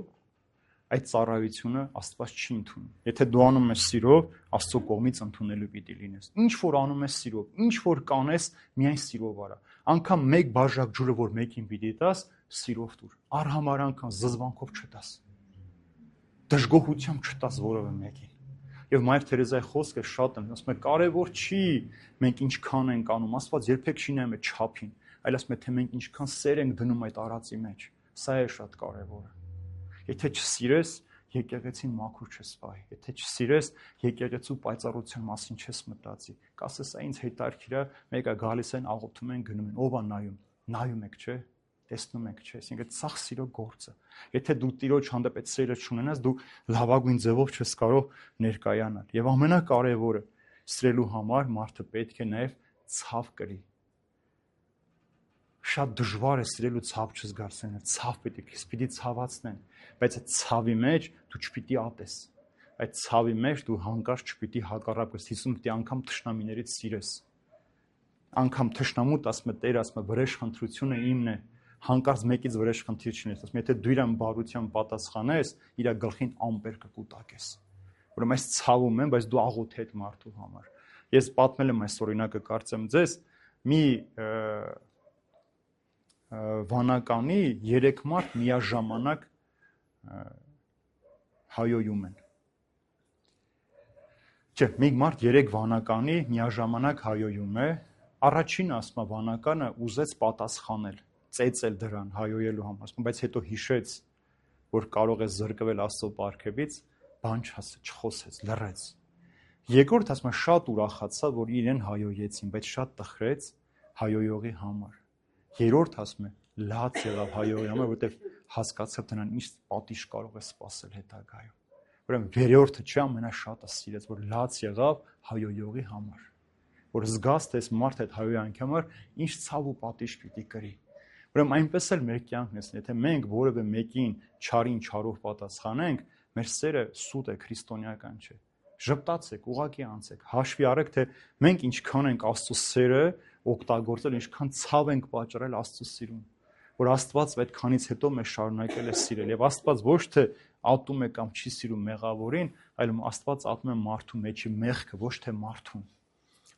այդ ծառայությունը Աստված չի ընդունում։ Եթե դու անում ես սիրով, Աստծո կողմից ընդունելու պիտի լինես։ Ինչ որ անում ես սիրով, ինչ որ կանես, միայն սիրով արա։ Անկամ մեկ բաժակ ջուրը, որ մեկին պիտի տաս, սիրով տուր։ Արհամար անգամ զզվանքով չտաս։ Դժգոհությամբ չտաս որևէ մեկին։ Եվ Մայր Թերեզայի խոսքը շատ եմ, ասում է, կարևոր չի մենք ինչքան ենք անում, Աստված երբեք չի նայում այդ չափին, այլ ասում է, թե մենք ինչքան սեր ենք դնում այդ արածի մեջ։ Սա է շատ կարևորը։ Եթե չսիրես, եկեղեցին մաքուր չես վայի։ Եթե չսիրես, եկեղեցու պայծառության մասին չես մտածի։ Կասես, այն ինձ հետարքիր է, մեկը գալիս են, աղոթում են, գնում են, ով է նայում։ Նայում եք, չէ՞։ Տեսնում եք, չէ՞։ Այսինքն սաղ սիրո գործը։ Եթե դու Տիրոջ հանդեպ այդ սերը չունենաս, դու լավագույն ձևով չես կարող ներկայանալ։ Եվ ամենակարևորը, սիրելու համար մարդը պետք է նաև ցավ կրի։ Շատ դժվար է սիրելու ցավ չզգացնել, ցավ պիտի քեզ պիտի ցավացնեն, բայց այդ ցավի մեջ դու չպիտի ատես։ Այդ ցավի մեջ դու հանկարծ չպիտի հակառակես, Հիսուսը պիտի անգամ թշնամիներից սիրես։ Անգամ թշնամուտ ասում է, Տեր ասում է, վրեժխնդրությունը իմն է, հանկարծ մեկից վրեժխնդիր չունես, ասում եթե դու իրան բարությամբ պատասխանես, իր գլխին ամպեր կկուտակես։ Ուրեմն այս ցավում եմ, բայց դու աղոթի այդ մարդու համար։ Ես պատմել եմ այս օրինակը, կարծեմ ձեզ, մի վանականի երեք մարդ միաժամանակ հայոյում են։ Չէ, մի մարդ երեք վանականի միաժամանակ հայոյում է, առաջին ասма վանականը ուզեց պատասխանել, ծեծել դրան հայոյելու համար, բայց հետո հիշեց, որ կարող է զրկվել Աստծո պարգևից, բան չխոսեց, լռեց։ Երկրորդ ասма շատ ուրախացավ, որ իրեն հայոյեցին, բայց շատ տխրեց հայոյողի համար։ Երրորդ ասում է, լաց եղավ հայոյի համար, որովհետև հասկացավ դրան ինչ պատիժ կարող է սպասել հետագայում։ Ուրեմն երրորդը չի ամենաշատը սիրեց, որ լաց եղավ հայոյողի համար, որ զգաց, թե այս մարդը այդ հայոյանքի համար ինչ ցավ ու պատիժ պիտի կրի։ Ուրեմն այնպես էլ մեր կյանքն է, եթե մենք որևէ մեկին չարին չարով պատասխանենք, մեր սերը սուտ է, քրիստոնեական չէ։ Ժպտացեք, ուղղակի անցեք, հաշվի առեք, թե մենք ինչքան ենք Աստծո սերը օգտագործել, ինչքան ցավ ենք պատճառել Աստծո սիրուն, որ Աստված այդքանից հետո մեզ շարունակել է սիրել, եւ Աստված ոչ թե ատում է կամ չի սիրում մեղավորին, այլ Աստված ատում է մարդու մեջի մեղքը, ոչ թե մարդուն։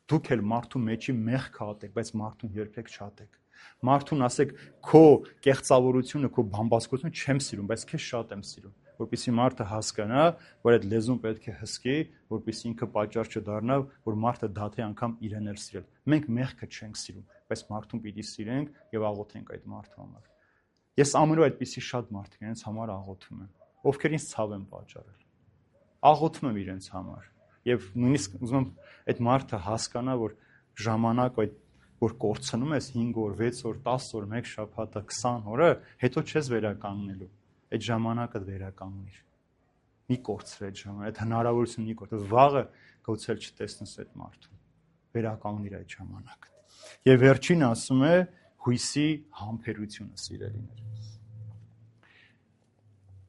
Դուք էլ մարդու մեջի մեղքը ատեք, բայց մարդուն երբեք չատեք։ Մարդուն ասեք, քո կեղծավորությունը, քո բամբասկությունը չեմ սիրում, բայց քեզ շատ եմ սիրում, որպեսզի մարդը հասկանա, որ այդ լեզուն պետք է հսկի, որպեսզի ինքը պատճառ չդառնա, որ մարդը դադի անգամ իրեն էլ սիրել։ Մենք մեղքը չենք սիրում, բայց մարդուն պիտի սիրենք եւ աղոթենք այդ մարդու համար։ Ես ամենուր այդպիսի շատ մարդիկ իրենց համար աղոթում եմ, ովքեր ինձ ցավ են պատճառել։ Աղոթում եմ իրենց համար եւ նույնիսկ ուզում եմ այդ մարդը հասկանա, որ ժամանակ այդ որ կորցնում ես հինգ օր, վեց օր, տասը օր, մեկ շաբաթը, քսան օրը, հետո չես վերականգնելու։ Այդ ժամանակը վերականգնիր։ Մի կորցրի այդ ժամանակ, այդ հնարավորությունը մի կորցրի, վաղը գուցե չտեսնես այդ մարդուն։ Վերականգնիր այդ ժամանակը։ Եվ վերջին ասում է հույսի համբերությունը, սիրելիներ։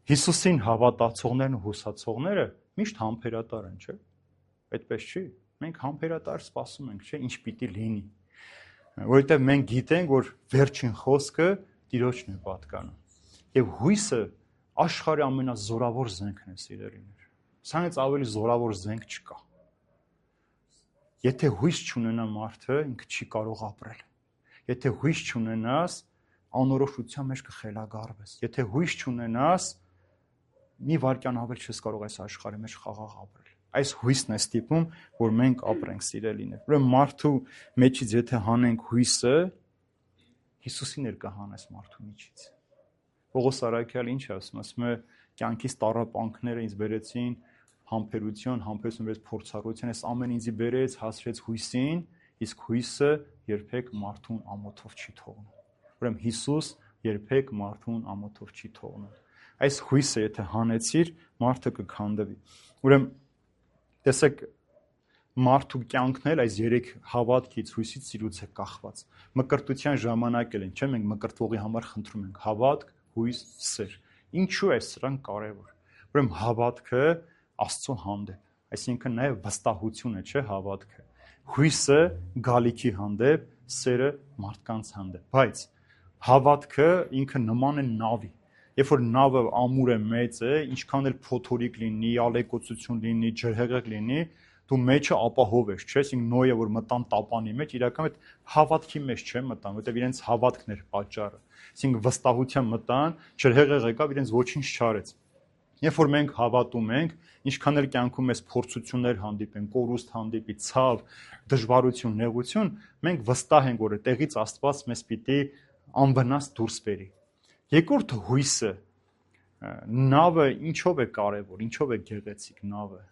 Հիսուսին հավատացողներն ու հուսացողները միշտ համբերատար են, չէ՞։ Այդպես չի։ Մենք համբերատար սպասում ենք, չէ՞, ինչ պիտի լինի։ Որովհետև մենք գիտենք, որ վերջին խոսքը Տիրոջն է պատկանում։ Եվ հույսը աշխարհի ամենազորավոր զենքն է, սիրելիներ։ Սրանից ավելի զորավոր զենք չկա։ Եթե հույս չունենա մարդը, ինքը չի կարող ապրել։ Եթե հույս չունենաս, անորոշության մեջ կխելագարվես։ Եթե հույս չունենաս, մի վայրկյան ավել չես կարող այս աշխարհի մեջ խաղաղ ապրել։ Այս հույսն է ստիպում, որ մենք ապրենք, սիրելիներ։ Ուրեմն մարդու մեջից եթե հանենք հույսը, Հիսուսի ներկահանես մարդու միջից։ Պողոս առաքյալը ինչ է ասում, ասում է, կյանքից տառապանքները ինձ բերեցին համբերություն, համբերություն բերեց փորձառություն, այս ամեն ինձի բերեց, հասրեց հույսին, իսկ հույսը երբեք մարդուն ամոթով չի թողնում։ Ուրեմն Հիսուս երբեք մարդուն ամոթով չի թողնում։ Այս հույսը եթե հանեցիր, մարդը կքանդվի։ Ուրեմն տեսեք, մարդու կյանքն էլ այս երեք հավատքից, հույսից, սիրուց է կախված։ Մկրտության ժամանակ էլ են, չէ՞, մենք մկրտվողի համար խնդրում ենք հավատք, հույս, սեր։ Ինչու է սրանք կարևոր։ Ուրեմն հավատքը Աստծո հանդեպ, այսինքն նաև վստահությունը, չէ՞, հավատքը։ Հույսը գալիքի հանդեպ, սերը մարդկանց հանդեպ։ Բայց հավատքը ինքը նման է նավի։ Երբ որ նավը ամուր է, մեծ է, ինչքան էլ փոթորիկ լինի, ալեկոծություն լինի, ջրհեղեղ լինի, դու մեջը ապահով ես, չէ՞, այսինքն Նոյը որ մտան տապանի մեջ, իրական այդ հավատքի մեջ չեն մտան, որտեղ իրենց հավատքն էր պատճառը։ Այսինքն վստահության մտան, ջրհեղեղ եկավ, իրենց ոչինչ չարեց։ Երբ որ մենք հավատում ենք, ինչքան էլ կյանքում մեզ փորձություններ հանդիպեն, կորուստ հանդիպի, ցավ, դժվարություն, նեղություն, մենք վստահ ենք, որ այդտեղից Աստված մեզ պիտի անվնաս դուրս բերի։ Երկրորդը հույսը, նավը ինչով է կարևոր, ինչով է գեղեցիկ նավը։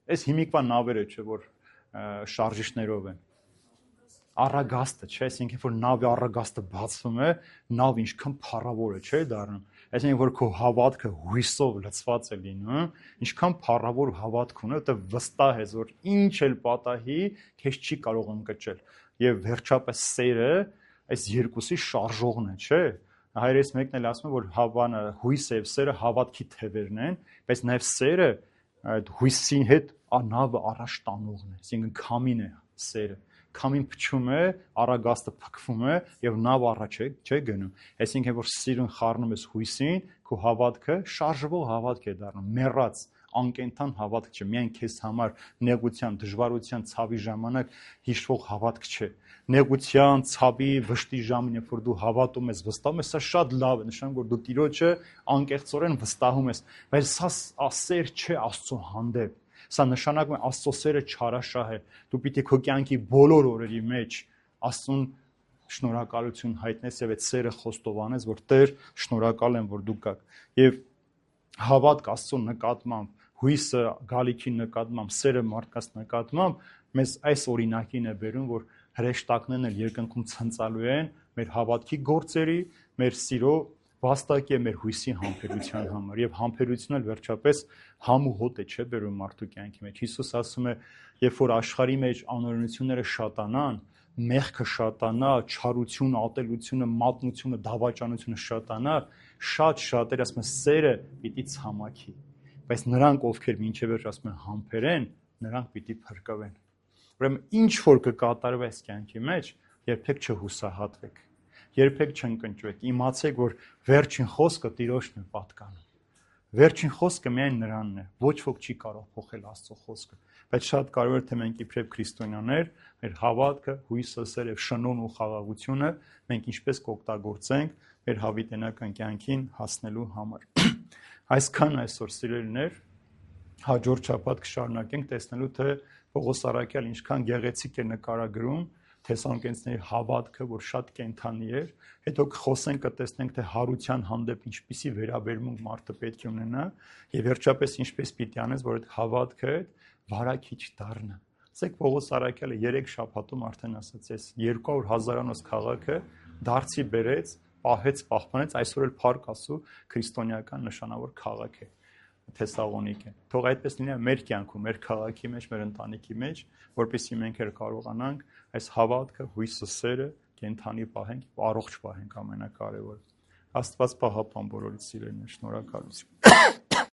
Այս հիմիկվա նավերը, չէ, որ շարժիչներով են։ Առագաստը, չէ, այսինքն որ նավի առագաստը բացվում է, նավը ինչքան փառավոր է, չէ, դառնում։ Այսինքն որ քո հավատքը հույսով լցված է լինում, ինչքան փառավոր հավատք ունի, որտեղ վստահ ես, որ ինչ էլ պատահի, քեզ չի կարող ընկճել։ Եվ վերջապես սերը այս երկուսի շարժողն է, չէ։ Հայրես մեկն էլ ասում է, որ հավանը, հույսը եւ սերը հավատքի թևերն են, բայց նաեւ սերը այդ հույսի հետ նավը առաջ տանողն է, այսինքն քամին է սերը։ Քամին փչում է, առագաստը փքվում է եւ նավ առաջ է, չէ, գնում։ Այսինքն որ սիրուն խառնում ես հույսին, քո հավատքը շարժվող հավատք է դառնում, մեռած, անկենթան հավատք չէ, միայն քեզ համար նեղության, դժվարության, ցավի ժամանակ հիշվող հավատք չէ։ Նեղության, ցավի, վշտի ժամին, երբ որ դու հավատում ես, վստահում ես, սա շատ լավ է, նշանակում որ դու Տիրոջը անկեղծորեն վստահում ես, բայց սա սեր չէ Աստծո հանդեպ։ Սա նշանակում է Աստծո սերը չարաշահ է։ Դու պիտի քո կյանքի բոլոր օրերի մեջ Աստծուն շնորհակալություն հայտնես եւ այդ սերը խոստովանես, որ Տեր, շնորհակալ եմ, որ դու կաք։ Եվ հավատք Աստծո նկատմամբ, հույսը գալիքի նկատմամբ, սերը մարդկանց նկատմամբ մեզ այս օրինակին է բերում, որ հրեշտակներն էլ երկնքում ցնծալու են մեր հավատքի գործերի, մեր սիրո վաստակի է մեր հույսի համբերության համար եւ համբերությունն էլ վերջապես համ ու հոտ է, չէ, բերում մարդու կյանքի մեջ։ Հիսուս ասում է, երբ որ աշխարհի մեջ անօրենությունները շատանան, մեղքը շատանա, չարությունը, ատելությունը, մատնությունը, դավաճանությունը շատանա, շատ շատեր ասում են սերը պիտի ցամաքի, բայց նրանք ովքեր մինչև վերջ ասում են համբերեն, նրանք պիտի փրկվեն։ Ուրեմն ինչ որ կկատարվի այս կյանքի մեջ, երբեք չհուսահատվեք, երբեք չընկճվեք, իմացեք, որ վերջին խոսքը Տիրոջն է պատկանում։ Վերջին խոսքը միայն նրանն է, ոչ ոք չի կարող փոխել Աստծո խոսքը, բայց շատ կարևոր է թե մենք իբրև քրիստոնյաներ, մեր հավատքը, հույսը, սերը եւ շնորհն ու խաղաղությունը մենք ինչպես կօգտագործենք մեր հավիտենական կյանքին հասնելու համար։ Այսքան այսօր սիրելիներ, հաջորդ շաբաթ կշարունակենք տեսնելու թե Պողոս առաքյալ ինչքան գեղեցիկ է նկարագրում Թեսալոնիկեցիների հավատքը, որ շատ կենթանի էր, հետո կխոսենք, կտեսնենք, թե հարության հանդեպ ինչպիսի վերաբերմունք մարդը պետք է ունենա, եւ վերջապես ինչպես պիտի անես, որ այդ հավատքը վարակիչ դառնա։ Ասեք Պողոս առաքյալը երեք շաբաթում արդեն ասաց, այս երկու հարյուր հազարանոց քաղաքը դարձի բերեց, պահեց, պահպանեց, այսօր էլ Փառք Աստծո քրիստոնեական նշանավոր քաղաք է Թեսաղոնիկը։ Թող այդպես լինի մեր կյանքում, մեր քաղաքի մեջ, մեր ընտանիքի մեջ, որպեսզի մենք էլ կարողանանք այս հավատքը, հույսը, սերը կենթանի պահենք, առողջ պահենք ամենակարևորը։ Աստված պահապան բոլորից սիրելիներ, շնորհակալություն։